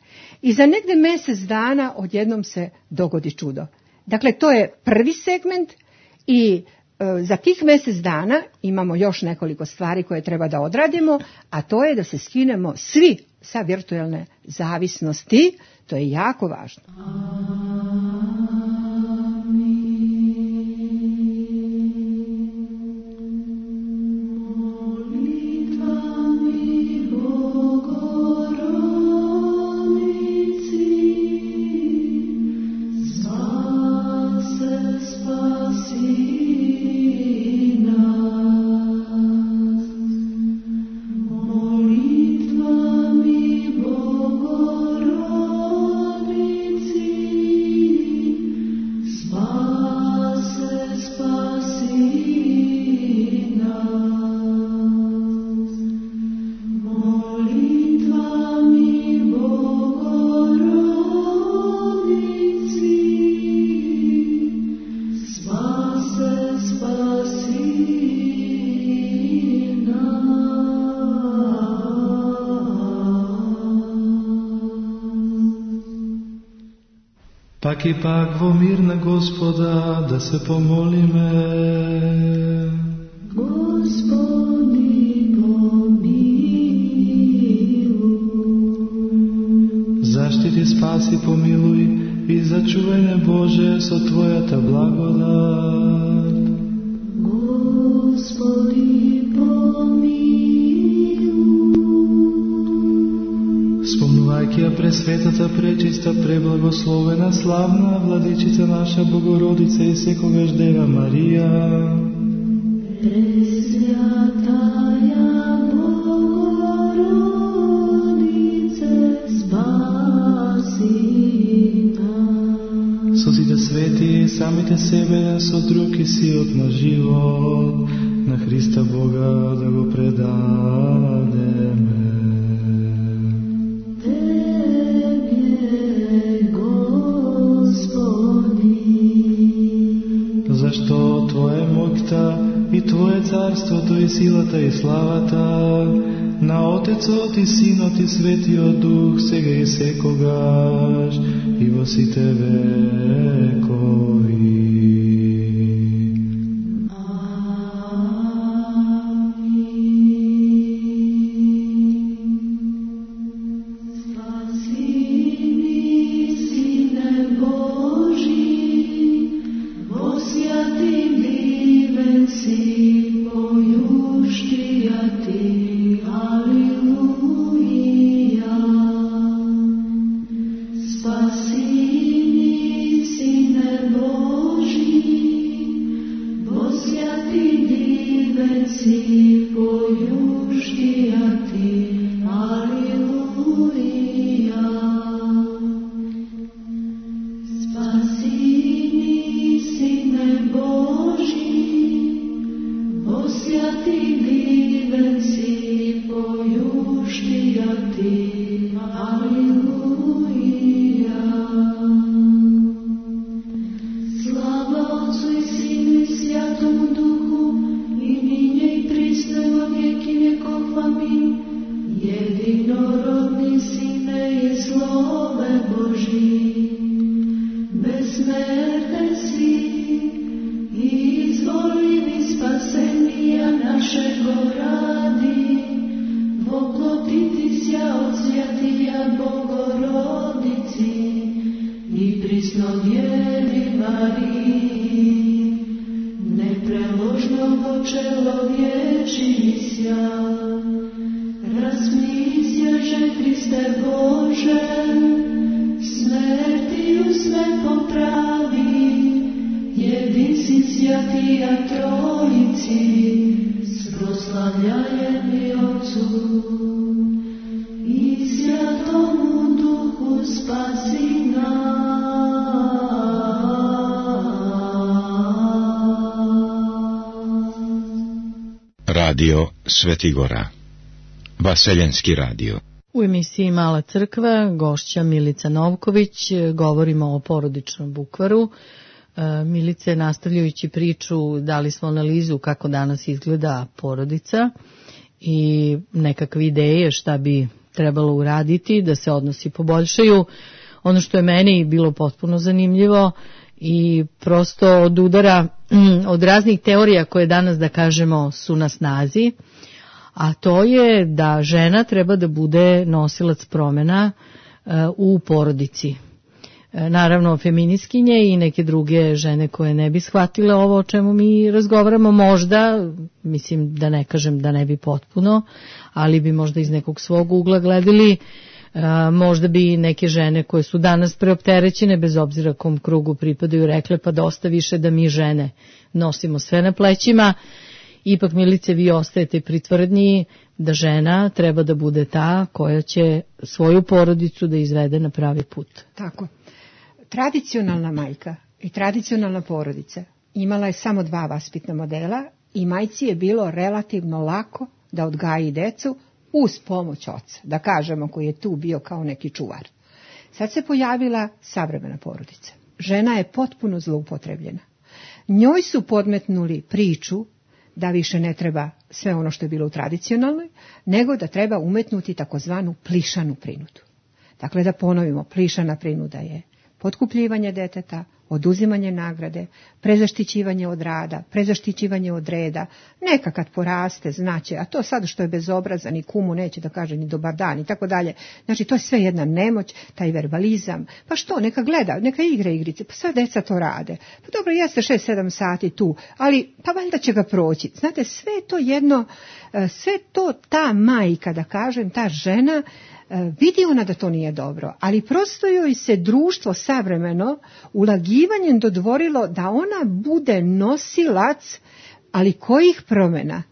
I za negde mjesec dana odjednom se dogodi čudo. Dakle, to je prvi segment i za tih mjesec dana imamo još nekoliko stvari koje treba da odradimo, a to je da se skinemo svi sa virtualne zavisnosti. To je jako važno. Pak ipak vo mirna Gospoda, da se pomolime. Gospodi pomiluj. Zaštiti, spasi, pomiluj i začuvaj me Bože so Tvoja ta blagodat. Gospodi pomiluj. Spomnuvajkija presvetata, prečista, preblagoslovena, slavna, vladičica naša Bogorodica i sekogaš Deva Marija. Presvjataja Bogorodice, spasi nas. Sozite sveti, samite sebe, so drugi siot na život, na Hrista Boga da go predademe. Zašto Tvoje mokta i Tvoje carstvo, to je silata i slavata, na Otecot i Sinot i Svetio Duh, сега и секогаш и во сите векови. Svjetому Duhu i minje i prisne во веки jedinci svjatija trojici, proslavljajeni Otcu i Svjatomu Duhu spasi nas. Radio Svetigora. Vaseljenski radio. U emisiji Mala crkva gošća Milica Novković, govorimo o porodičnom bukvaru. Milice, nastavljajući priču, dali smo analizu kako danas izgleda porodica i nekakve ideje šta bi trebalo uraditi da se odnosi poboljšaju. Ono što je meni bilo potpuno zanimljivo i prosto od udara od raznih teorija koje danas, da kažemo, su na snazi, a to je da žena treba da bude nosilac promjena u porodici. Naravno, feministkinje i neke druge žene koje ne bi shvatile ovo o čemu mi razgovaramo, možda, mislim da ne kažem da ne bi potpuno, ali bi možda iz nekog svog ugla gledali, možda bi neke žene koje su danas preopterećene, bez obzira kom krugu pripadaju, rekle pa dosta više da mi žene nosimo sve na plećima. Ipak, Milice, vi ostajete pri tvrdnji da žena treba da bude ta koja će svoju porodicu da izvede na pravi put. Tako. Tradicionalna majka i tradicionalna porodica imala je samo dva vaspitna modela i majci je bilo relativno lako da odgaji decu uz pomoć oca, da kažemo, koji je tu bio kao neki čuvar. Sad se pojavila savremena porodica. Žena je potpuno zloupotrebljena. Njoj su podmetnuli priču da više ne treba sve ono što je bilo u tradicionalnoj, nego da treba umetnuti takozvanu plišanu prinudu. Dakle, da ponovimo, plišana prinuda je potkupljivanje deteta, oduzimanje nagrade, prezaštićivanje od rada, prezaštićivanje od reda, neka kad poraste znaće, a to sad što je bezobrazan i kumu neće da kaže ni dobar dan i tako dalje. Znači, to je sve jedna nemoć, taj verbalizam. Pa što, neka gleda, neka igra igrice, pa sve deca to rade. Pa dobro, jeste 6-7 sati tu, ali pa valjda će ga proći. Znate, sve to jedno, sve to ta majka, da kažem, ta žena, vidi ona da to nije dobro, ali prosto joj se društvo savremeno ulagivanjem dodvorilo da ona bude nosilac, ali kojih promjena?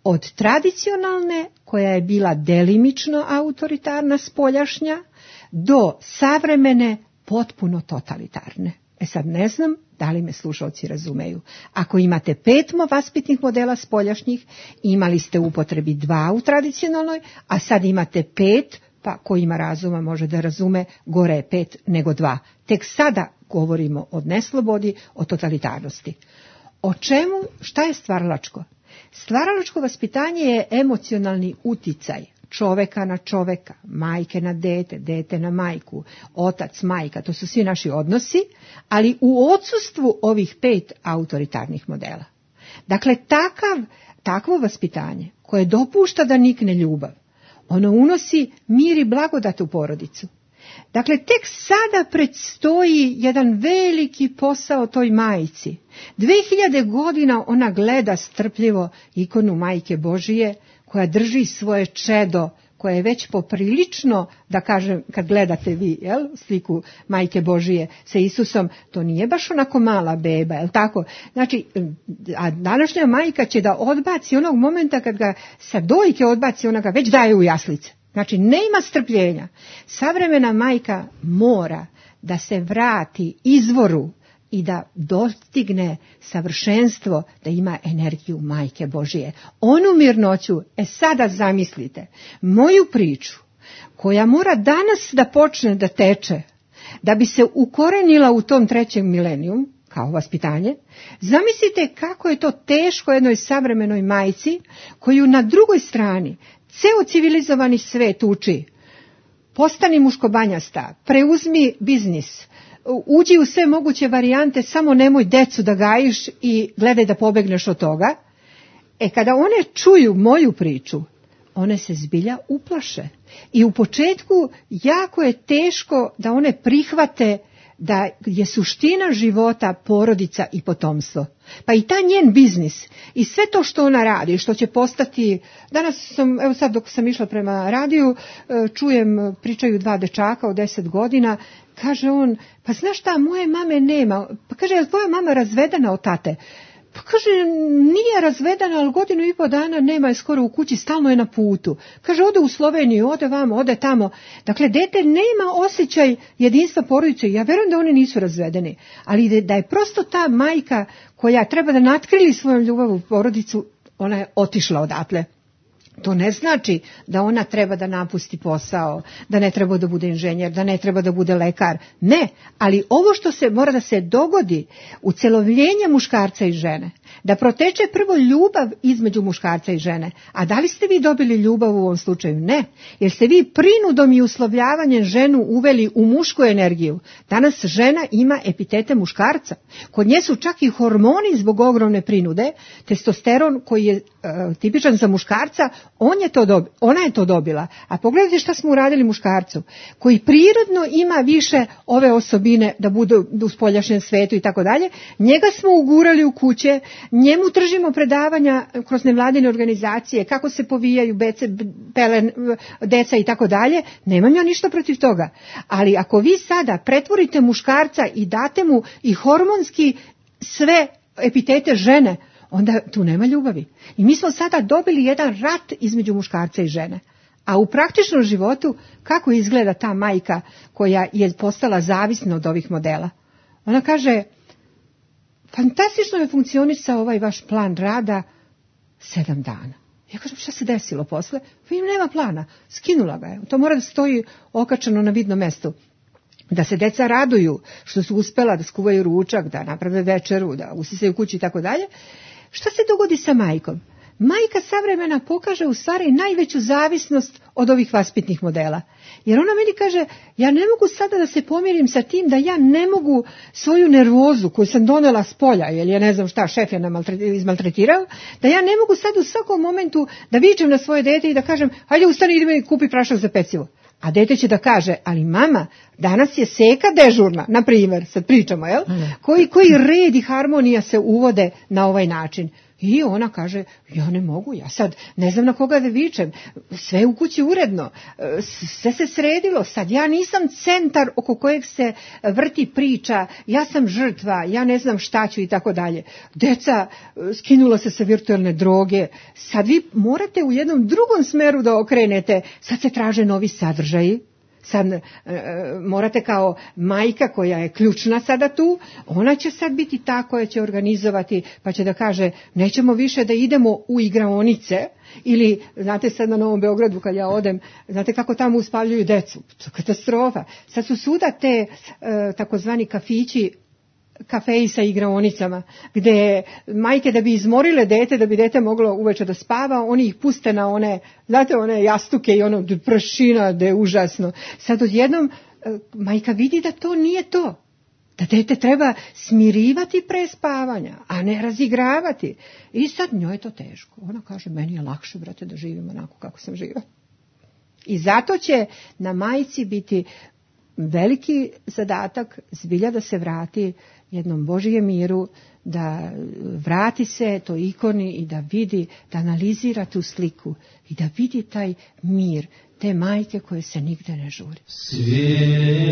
Od tradicionalne, koja je bila delimično autoritarna, spoljašnja, do savremene, potpuno totalitarne. Sad ne znam da li me slušalci razumeju. Ako imate 5 vaspitnih modela spoljašnjih, imali ste u upotrebi 2 u tradicionalnoj, a sad imate 5, pa ko ima razuma može da razume, gore je 5 nego 2. Tek sada govorimo o neslobodi, o totalitarnosti. O čemu, šta je stvaralačko? Stvaralačko vaspitanje je emocionalni uticaj čoveka na čoveka, majke na dete, dete na majku, otac, majka, to su svi naši odnosi, ali u odsustvu ovih 5 autoritarnih modela. Dakle, takvo vaspitanje koje dopušta da nikne ljubav, ono unosi mir i blagodat u porodicu. Dakle, tek sada predstoji jedan veliki posao toj majci. 2000 godina ona gleda strpljivo ikonu Majke Božije, koja drži svoje čedo, koje je već poprilično, da kažem, kad gledate vi sliku Majke Božije sa Isusom, to nije baš onako mala beba, jel tako? Znači, a današnja majka će da odbaci onog momenta kad ga sa dojke odbaci, ona ga već daje u jaslice. Znači, ne ima strpljenja. Savremena majka mora da se vrati izvoru i da dostigne savršenstvo, da ima energiju Majke Božije. Onu mirnoću, sada zamislite, moju priču, koja mora danas da počne da teče, da bi se ukorenila u tom 3. milenijum, kao vaspitanje, zamislite kako je to teško jednoj savremenoj majci, koju na drugoj strani ceo civilizovani svet uči. Postani muškobanjasta, preuzmi biznis, uđi u sve moguće varijante, samo nemoj decu da gajiš i gledaj da pobegneš od toga. Kada one čuju moju priču, one se zbilja uplaše. I u početku jako je teško da one prihvate da je suština života porodica i potomstvo. Pa i ta njen biznis i sve to što ona radi, što će postati, danas sam, evo sad dok sam išla prema radiju, čujem, pričaju 2 dečaka od 10 godina, kaže on, pa znaš šta, moje mame nema, pa kaže, je li tvoja mama razvedena od tate? Pa kaže, nije razvedena, ali 1,5 dana nema je skoro u kući, stalno je na putu. Kaže, ode u Sloveniju, ode vamo, ode tamo. Dakle, dete nema osjećaj jedinstva porodice. Ja verujem da oni nisu razvedeni, ali da je prosto ta majka koja treba da natkrili svojom ljubav u porodicu, ona je otišla odatle. To ne znači da ona treba da napusti posao, da ne treba da bude inženjer, da ne treba da bude lekar. Ne, ali ovo što se mora da se dogodi, ucelovljenje muškarca i žene, da proteče prvo ljubav između muškarca i žene. A da li ste vi dobili ljubav u ovom slučaju? Ne, jer ste vi prinudom i uslovljavanjem ženu uveli u mušku energiju. Danas žena ima epitete muškarca. Kod nje su čak i hormoni zbog ogromne prinude, testosteron koji je tipičan za muškarca, ona je to dobila. A pogledajte šta smo uradili muškarcu, koji prirodno ima više ove osobine da bude u spoljašnjem svetu i tako dalje. Njega smo ugurali u kuće, njemu tržimo predavanja kroz nevladine organizacije, kako se povijaju deca i tako dalje. Nemam ja ništa protiv toga. Ali ako vi sada pretvorite muškarca i date mu i hormonski sve epitete žene, onda tu nema ljubavi. I mi smo sada dobili jedan rat između muškarca i žene. A u praktičnom životu kako izgleda ta majka koja je postala zavisna od ovih modela? Ona kaže, fantastično je funkcionisao ovaj vaš plan rada 7 dana. Ja kažem, šta se desilo posle? Nema plana, skinula ga je. To mora da stoji okačeno na vidnom mestu. Da se deca raduju što su uspela da skuvaju ručak, da naprave večeru, da usisaju kući i tako dalje. Šta se dogodi sa majkom? Majka savremena pokaže u stvari najveću zavisnost od ovih vaspitnih modela. Jer ona meni kaže, ja ne mogu sada da se pomirim sa tim da ja ne mogu svoju nervozu koju sam donela s polja, jer je ne znam šta, šef je izmaltretirao, da ja ne mogu sad u svakom momentu da vičem na svoje dete i da kažem, hajde ustani, idemo i kupi prašak za pecivo. A dete će da kaže, ali mama, danas je seka dežurna, na primjer, sad pričamo, jel? Koji red i harmonija se uvode na ovaj način. I ona kaže, ja ne mogu, ja sad ne znam na koga da vičem, sve u kući uredno, sve se sredilo, sad ja nisam centar oko kojeg se vrti priča, ja sam žrtva, ja ne znam šta ću i tako dalje. Deca skinula se sa virtualne droge, sad vi morate u jednom drugom smeru da okrenete, sad se traže novi sadržaji. Sad morate kao majka koja je ključna sada tu, ona će sad biti ta koja će organizovati, pa će da kaže nećemo više da idemo u igraonice ili, znate sad na Novom Beogradu kad ja odem, znate kako tamo uspavljuju decu, katastrofa. Sad su svuda te takozvani kafići, kafeji sa igraonicama, gde majke da bi izmorile dete, da bi dete moglo uveče da spava, oni ih puste na one, znate, one jastuke i ono pršina, da je užasno. Sad odjednom majka vidi da to nije to. Da dete treba smirivati pre spavanja, a ne razigravati. I sad njoj je to teško. Ona kaže, meni je lakše, brate, da živim onako kako sam živa. I zato će na majci biti veliki zadatak zbilja da se vrati jednom Božijem miru, da vrati se to ikoni i da vidi, da analizira tu sliku i da vidi taj mir, te majke koje se nigde ne žuri. Sanje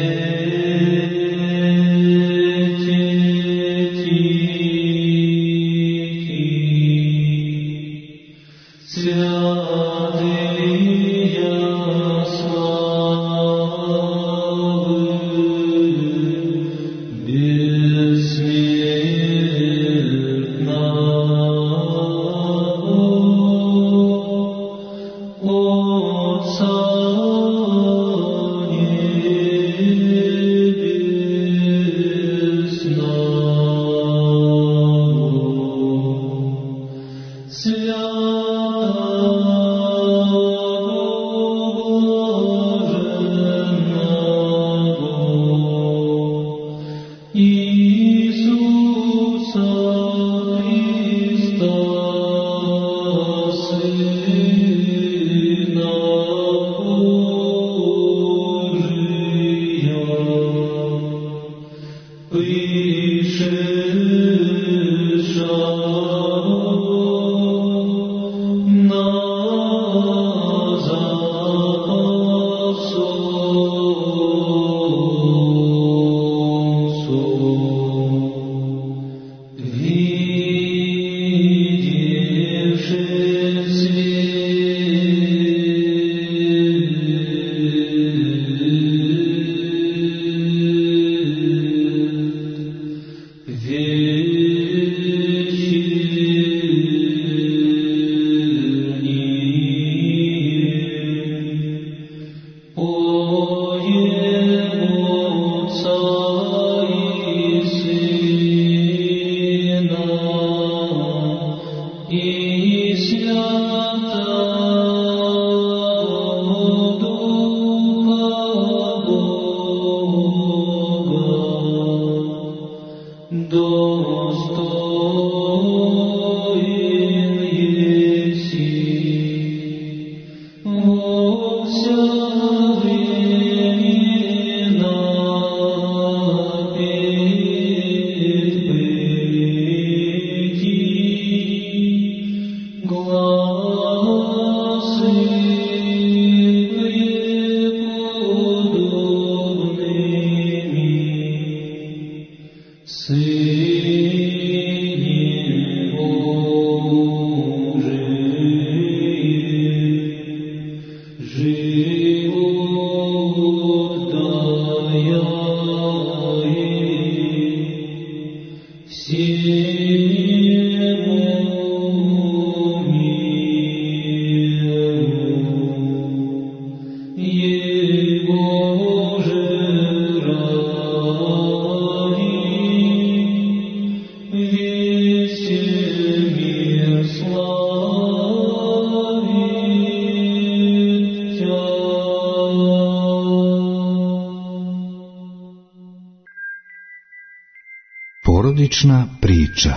Porodična priča.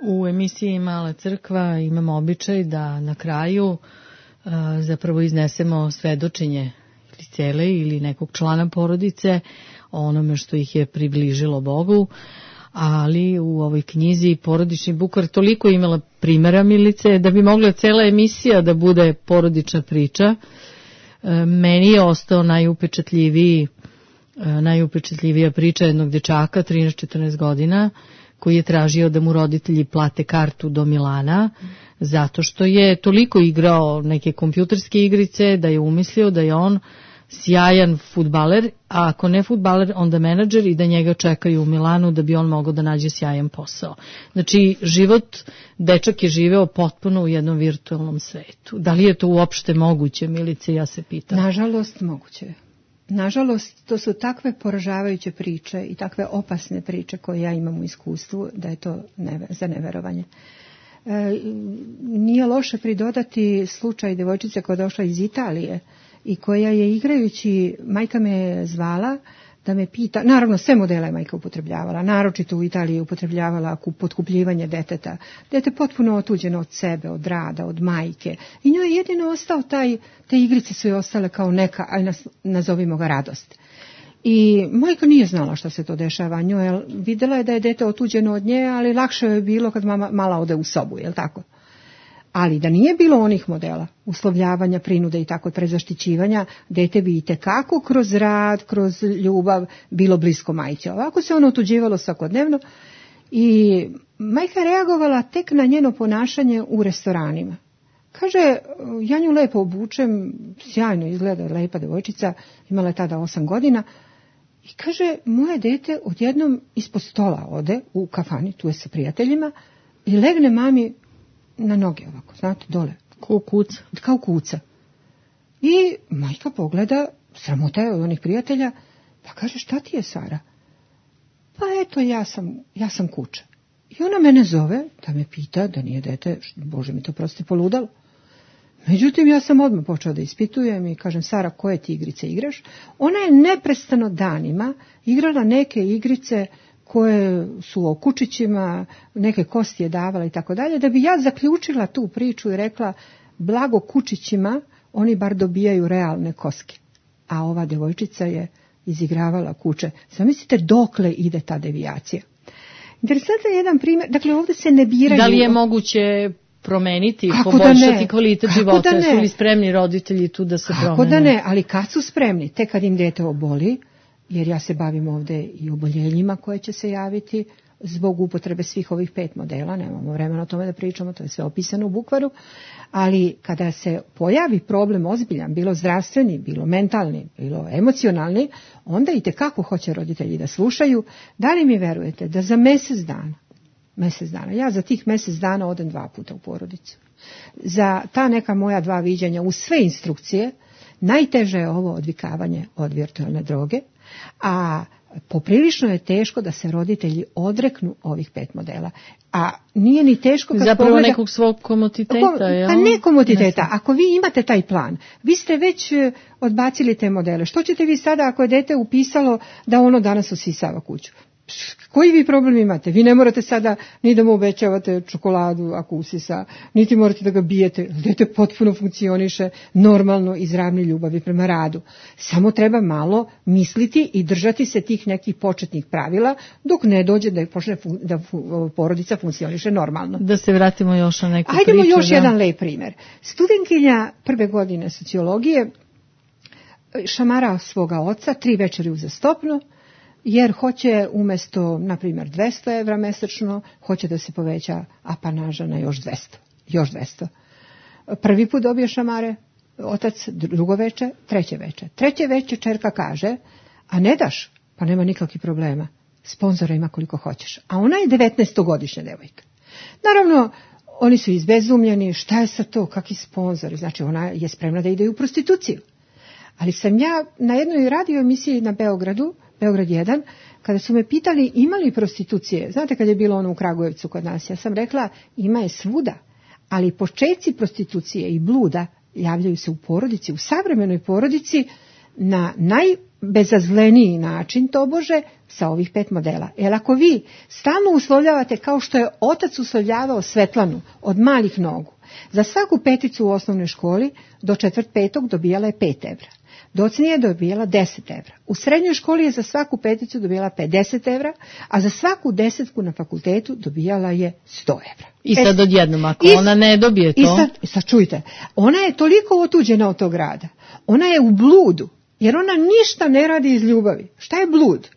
U emisiji Mala crkva imamo običaj da na kraju zapravo iznesemo svedočenje ili cele ili nekog člana porodice o onome što ih je približilo Bogu, ali u ovoj knjizi Porodični bukvar toliko imala primjera, Milice, da bi mogla cela emisija da bude porodična priča. Meni je ostao najupečatljivija priča jednog dečaka, 13-14 godina, koji je tražio da mu roditelji plate kartu do Milana, zato što je toliko igrao neke kompjuterske igrice da je umislio da je on sjajan fudbaler, a ako ne fudbaler, onda menadžer i da njega čekaju u Milanu da bi on mogao da nađe sjajan posao. Znači, dečak je živeo potpuno u jednom virtualnom svetu. Da li je to uopšte moguće, Milice, ja se pitam? Nažalost, moguće je. Nažalost, to su takve poražavajuće priče i takve opasne priče koje ja imam u iskustvu da je to za neverovanje. Nije loše pridodati slučaj devojčice koja je došla iz Italije i koja je igrajući, majka me je zvala da me pita, naravno sve modele je majka upotrebljavala, naročito u Italiji je upotrebljavala potkupljivanje deteta. Dete potpuno otuđeno od sebe, od rada, od majke. I njoj je jedino ostao te igrice su joj ostale kao neka, aj nazovimo ga radost. I majka nije znala šta se to dešava njoj, vidjela je da je dete otuđeno od nje, ali lakše je bilo kad mala ode u sobu, jel tako? Ali da nije bilo onih modela, uslovljavanja, prinude i tako prezaštićivanja, dete bi itekako kroz rad, kroz ljubav bilo blisko majci. Ovako se ono otuđivalo svakodnevno i majka je reagovala tek na njeno ponašanje u restoranima. Kaže, ja nju lepo obučem, sjajno izgleda, lepa devojčica, imala je tada 8 godina, i kaže, moje dete odjednom ispod stola ode u kafani, tu je sa prijateljima, i legne mami na noge ovako, znate, dole. Kao kuca. I majka pogleda, sramota je od onih prijatelja, pa kaže, šta ti je, Sara? Pa eto, ja sam kuća. I ona mene zove da me pita da nije dete, Bože mi to prosti, poludalo. Međutim, ja sam odmah počela da ispitujem i kažem, Sara, koje ti igrice igraš? Ona je neprestano danima igrala neke igrice koje su o kučićima, neke kosti je davala i tako dalje, da bi ja zaključila tu priču i rekla, blago kučićima, oni bar dobijaju realne koske. A ova devojčica je izigravala kuće. Zamislite dokle ide ta devijacija. Interesantan je jedan primjer, dakle ovdje se ne biraju. Da li je moguće promeniti, poboljšati kvalitet života? Su li spremni roditelji tu da se promene? Kako da ne, ali kad su spremni, tek kad im dete oboli, jer ja se bavim ovdje i oboljenjima koje će se javiti zbog upotrebe svih ovih 5 modela, nemamo vremena o tome da pričamo, to je sve opisano u bukvaru, ali kada se pojavi problem ozbiljan, bilo zdravstveni, bilo mentalni, bilo emocionalni, onda itekako hoće roditelji da slušaju. Da li mi verujete da za mjesec dana, ja za tih mjesec dana odem 2 puta u porodicu. Za ta neka moja 2 viđenja uz sve instrukcije, najteže je ovo odvikavanje od virtualne droge, a Poprilično je teško da se roditelji odreknu ovih 5 modela. A nije ni teško kad zapravo nekog svog komoditeta. Pa ne komoditeta. Ako vi imate taj plan, vi ste već odbacili te modele. Što ćete vi sada ako je dete upisalo da ono danas usisava kuću? Koji vi problem imate? Vi ne morate sada ni da mu obećavate čokoladu ako usisa, niti morate da ga bijete. Dete potpuno funkcioniše normalno iz ravne ljubavi prema radu. Samo treba malo misliti i držati se tih nekih početnih pravila dok ne dođe da počne da porodica funkcioniše normalno. Da se vratimo još na neku priču. Ajdemo još jedan lep primjer. Studentkinja 1. godine sociologije šamara svoga oca 3 večeri uzastopno, jer hoće umjesto, na primjer, 200 evra mesečno, hoće da se poveća apanaža na još 200. Prvi put dobije šamare otac, drugo veče, treće veče. Treće veče čerka kaže, a ne daš? Pa nema nikakvih problema. Sponzora ima koliko hoćeš. A ona je 19-godišnja devojka. Naravno, oni su izbezumljeni, šta je sa to, kakvi sponzori? Znači, ona je spremna da ide u prostituciju. Ali sam ja na jednoj radio emisiji na Beograd 1, kada su me pitali ima li prostitucije, znate kad je bilo ono u Kragujevcu kod nas, ja sam rekla ima je svuda, ali početci prostitucije i bluda javljaju se u porodici, u savremenoj porodici na najbezazleniji način tobože sa ovih 5 modela. Jer ako vi stalno uslovljavate kao što je otac uslovljavao Svetlanu od malih nogu, za svaku peticu u osnovnoj školi do 4. 5. dobijala je 5 evra. Docnije je dobijala 10 evra. U srednjoj školi je za svaku peticu dobijala 50 evra, a za svaku 10 na fakultetu dobijala je 100 evra. I sad odjednom, ako ona ne dobije to... I sad čujte, ona je toliko otuđena od tog rada. Ona je u bludu, jer ona ništa ne radi iz ljubavi. Šta je blud?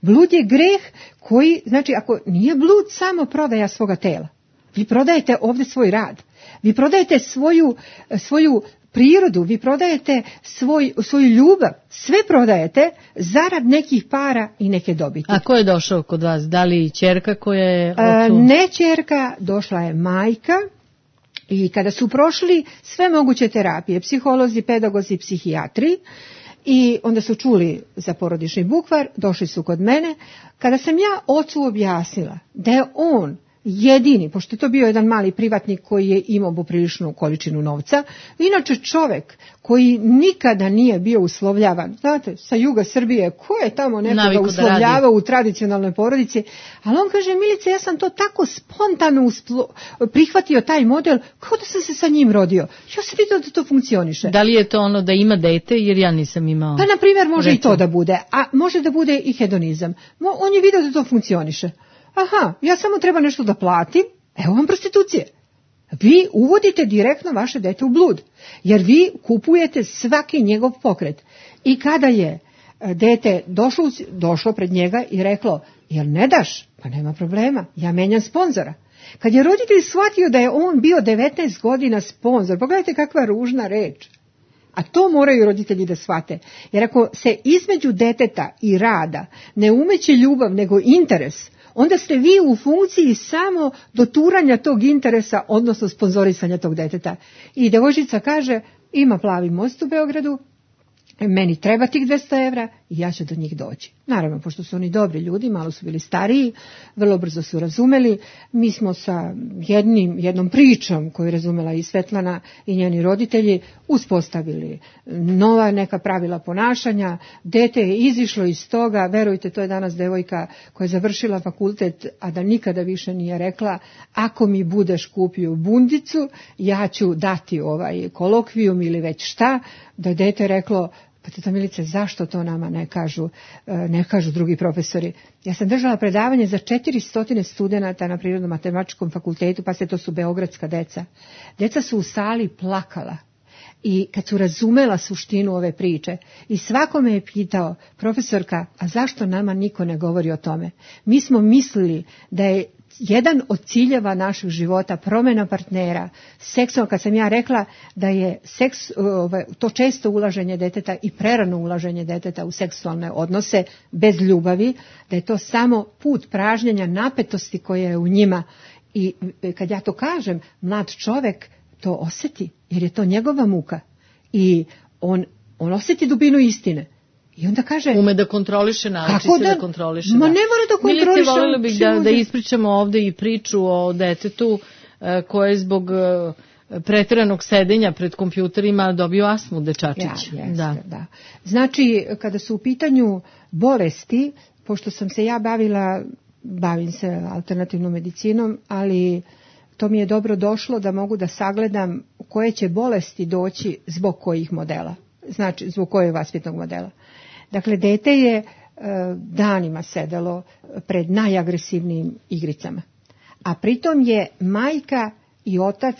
Blud je greh koji, znači ako nije blud samo prodaja svoga tela. Vi prodajete ovdje svoj rad. Vi prodajete svoju prirodu, vi prodajete svoju ljubav, sve prodajete zarad nekih para i neke dobiti. A ko je došao kod vas? Da li ćerka koja je... Ne ćerka, došla je majka i kada su prošli sve moguće terapije, psiholozi, pedagozi, psihijatri, i onda su čuli za porodični bukvar, došli su kod mene. Kada sam ja ocu objasnila da je on jedini, pošto je to bio jedan mali privatnik koji je imao popriličnu količinu novca, inače čovjek koji nikada nije bio uslovljavan, znate, sa juga Srbije, ko je tamo nekoga uslovljavao u tradicionalnoj porodici, ali on kaže, Milice, ja sam to tako spontano prihvatio taj model, kao da sam se sa njim rodio. Ja sam vidio da to funkcioniše. Da li je to ono da ima dete, jer ja nisam imao? Pa, na primjer, može i to da bude, a može da bude i hedonizam. On je vidio da to funkcioniše. Aha, ja samo treba nešto da platim, evo vam prostitucije. Vi uvodite direktno vaše dete u blud, jer vi kupujete svaki njegov pokret. I kada je dete došlo pred njega i reklo, jel ne daš? Pa nema problema, ja menjam sponzora. Kad je roditelj shvatio da je on bio 19 godina sponzor, pogledajte kakva ružna reč. A to moraju roditelji da shvate. Jer ako se između deteta i rada ne umeće ljubav nego interes, onda ste vi u funkciji samo doturanja tog interesa, odnosno sponzorisanja tog deteta. I devojčica kaže, ima plavi most u Beogradu, meni treba tih 200 evra i ja ću do njih doći. Naravno, pošto su oni dobri ljudi, malo su bili stariji, vrlo brzo su razumeli. Mi smo sa jednom pričom koju je razumela i Svetlana i njeni roditelji uspostavili nova neka pravila ponašanja. Dete je izišlo iz toga, verujte, to je danas devojka koja je završila fakultet, a da nikada više nije rekla, ako mi budeš kupio bundicu, ja ću dati kolokvijum ili već šta, da je dete reklo, pa teta Milice, zašto to nama ne kažu drugi profesori? Ja sam držala predavanje za 400 studenata na Prirodno-matematičkom fakultetu, pa to su beogradska deca. Deca su u sali plakala i kad su razumela suštinu ove priče i svako me je pitao, profesorka, a zašto nama niko ne govori o tome? Mi smo mislili da je jedan od ciljeva našeg života promjena partnera, seksualno, kad sam ja rekla da je to često ulaženje deteta i prerano ulaženje deteta u seksualne odnose bez ljubavi, da je to samo put pražnjenja napetosti koja je u njima. I kad ja to kažem, mlad čovjek to osjeti, jer je to njegova muka i on osjeti dubinu istine. I onda kaže... Ume da kontroliše, nauči se da kontroliše. Ma ne mora da kontroliše. Milice, voljela bih da ispričamo ovde i priču o detetu koje je zbog pretjeranog sedenja pred kompjuterima dobio astmu, dečačić. Da. Znači, kada su u pitanju bolesti, pošto sam se ja bavim se alternativnom medicinom, ali to mi je dobro došlo da mogu da sagledam koje će bolesti doći zbog kojih modela. Znači, zbog kojeg vaspitnog modela. Dakle, dete je danima sedelo pred najagresivnijim igricama. A pritom je majka i otac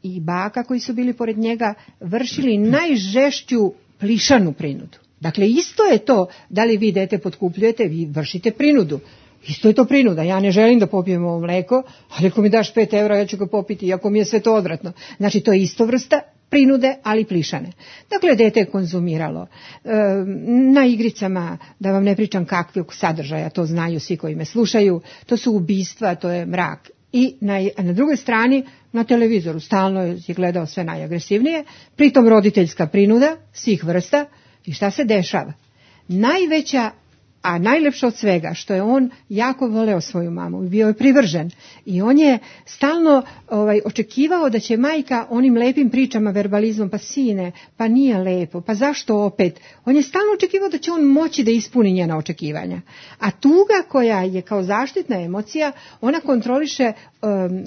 i baka koji su bili pored njega vršili najžešću plišanu prinudu. Dakle, isto je to, da li vi dete potkupljujete, vi vršite prinudu. Isto je to prinuda. Ja ne želim da popijem ovo mleko, ali ako mi daš 5 evra, ja ću ga popiti, iako mi je sve to odvratno. Znači, to je isto vrsta prinude, ali plišane. Dakle, dete je konzumiralo. Na igricama, da vam ne pričam kakvog sadržaja, to znaju svi koji me slušaju, to su ubistva, to je mrak. I na drugoj strani, na televizoru, stalno je gledao sve najagresivnije, pritom roditeljska prinuda svih vrsta. I šta se dešava? Najveća, a najlepše od svega, što je on jako voleo svoju mamu, bio je privržen i on je stalno očekivao da će majka onim lepim pričama, verbalizmom, pa sine, pa nije lepo, pa zašto opet? On je stalno očekivao da će on moći da ispuni njena očekivanja. A tuga koja je kao zaštitna emocija, ona kontroliše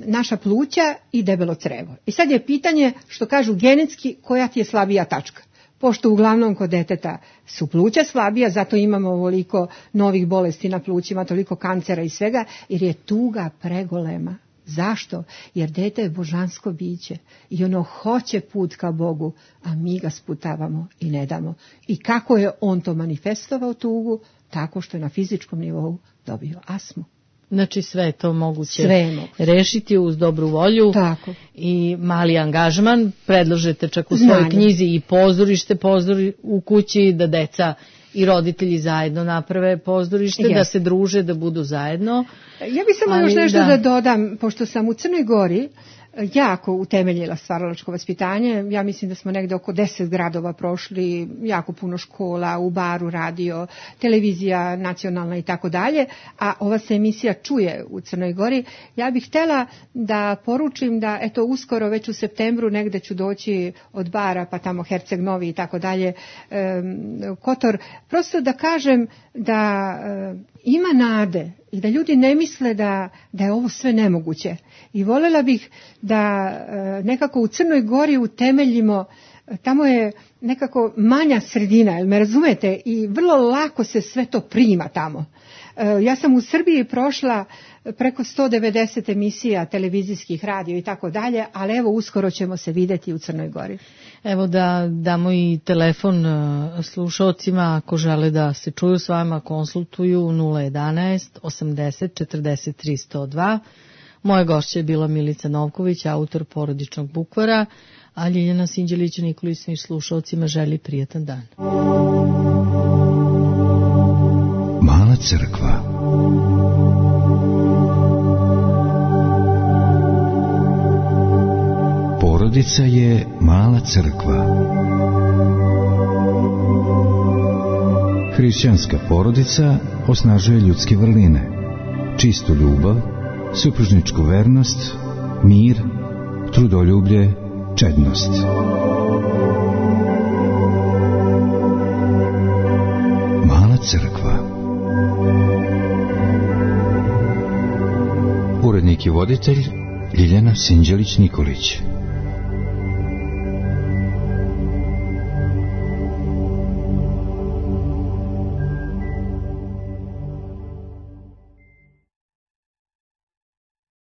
naša pluća i debelo crevo. I sad je pitanje, što kažu genetski, koja ti je slabija tačka. Pošto uglavnom kod deteta su pluća slabija, zato imamo ovoliko novih bolesti na plućima, toliko kancera i svega, jer je tuga pregolema. Zašto? Jer dete je božansko biće i ono hoće put ka Bogu, a mi ga sputavamo i ne damo. I kako je on to manifestovao tugu? Tako što je na fizičkom nivou dobio astmu. Znači sve je to moguće rešiti uz dobru volju. Tako. I mali angažman. Predlažete čak u svojoj knjizi i pozorište u kući, da deca i roditelji zajedno naprave pozorište, da se druže, da budu zajedno. Ja bih samo još nešto da dodam, pošto sam u Crnoj Gori jako utemeljila stvaralačko vaspitanje. Ja mislim da smo negde oko 10 gradova prošli, jako puno škola, u Baru radio, televizija nacionalna i tako dalje, a ova se emisija čuje u Crnoj Gori. Ja bih htjela da poručim da eto uskoro, već u septembru negde ću doći od Bara, pa tamo Herceg Novi i tako dalje, Kotor, prosto da kažem da ima nade i da ljudi ne misle da je ovo sve nemoguće. I voljela bih da nekako u Crnoj Gori utemeljimo, tamo je nekako manja sredina, jel me razumete, i vrlo lako se sve to prima tamo. Ja sam u Srbiji prošla preko 190 emisija televizijskih, radio i tako dalje, ali evo uskoro ćemo se vidjeti u Crnoj Gori. Evo da damo i telefon slušalcima ako žele da se čuju s vama, konsultuju 011 80 43 102. Moja gošća je bila Milica Novković, autor Porodičnog bukvara, a Ljiljana Sinđelić-Nikolić svim slušalcima želi prijatan dan. Mala crkva. Porodica je mala crkva. Hrišćanska porodica osnažuje ljudske vrline, čistu ljubav, supružničku vernost, mir, trudoljublje, čednost. Mala crkva. Urednik i voditelj Ljiljana Sinđelić-Nikolić.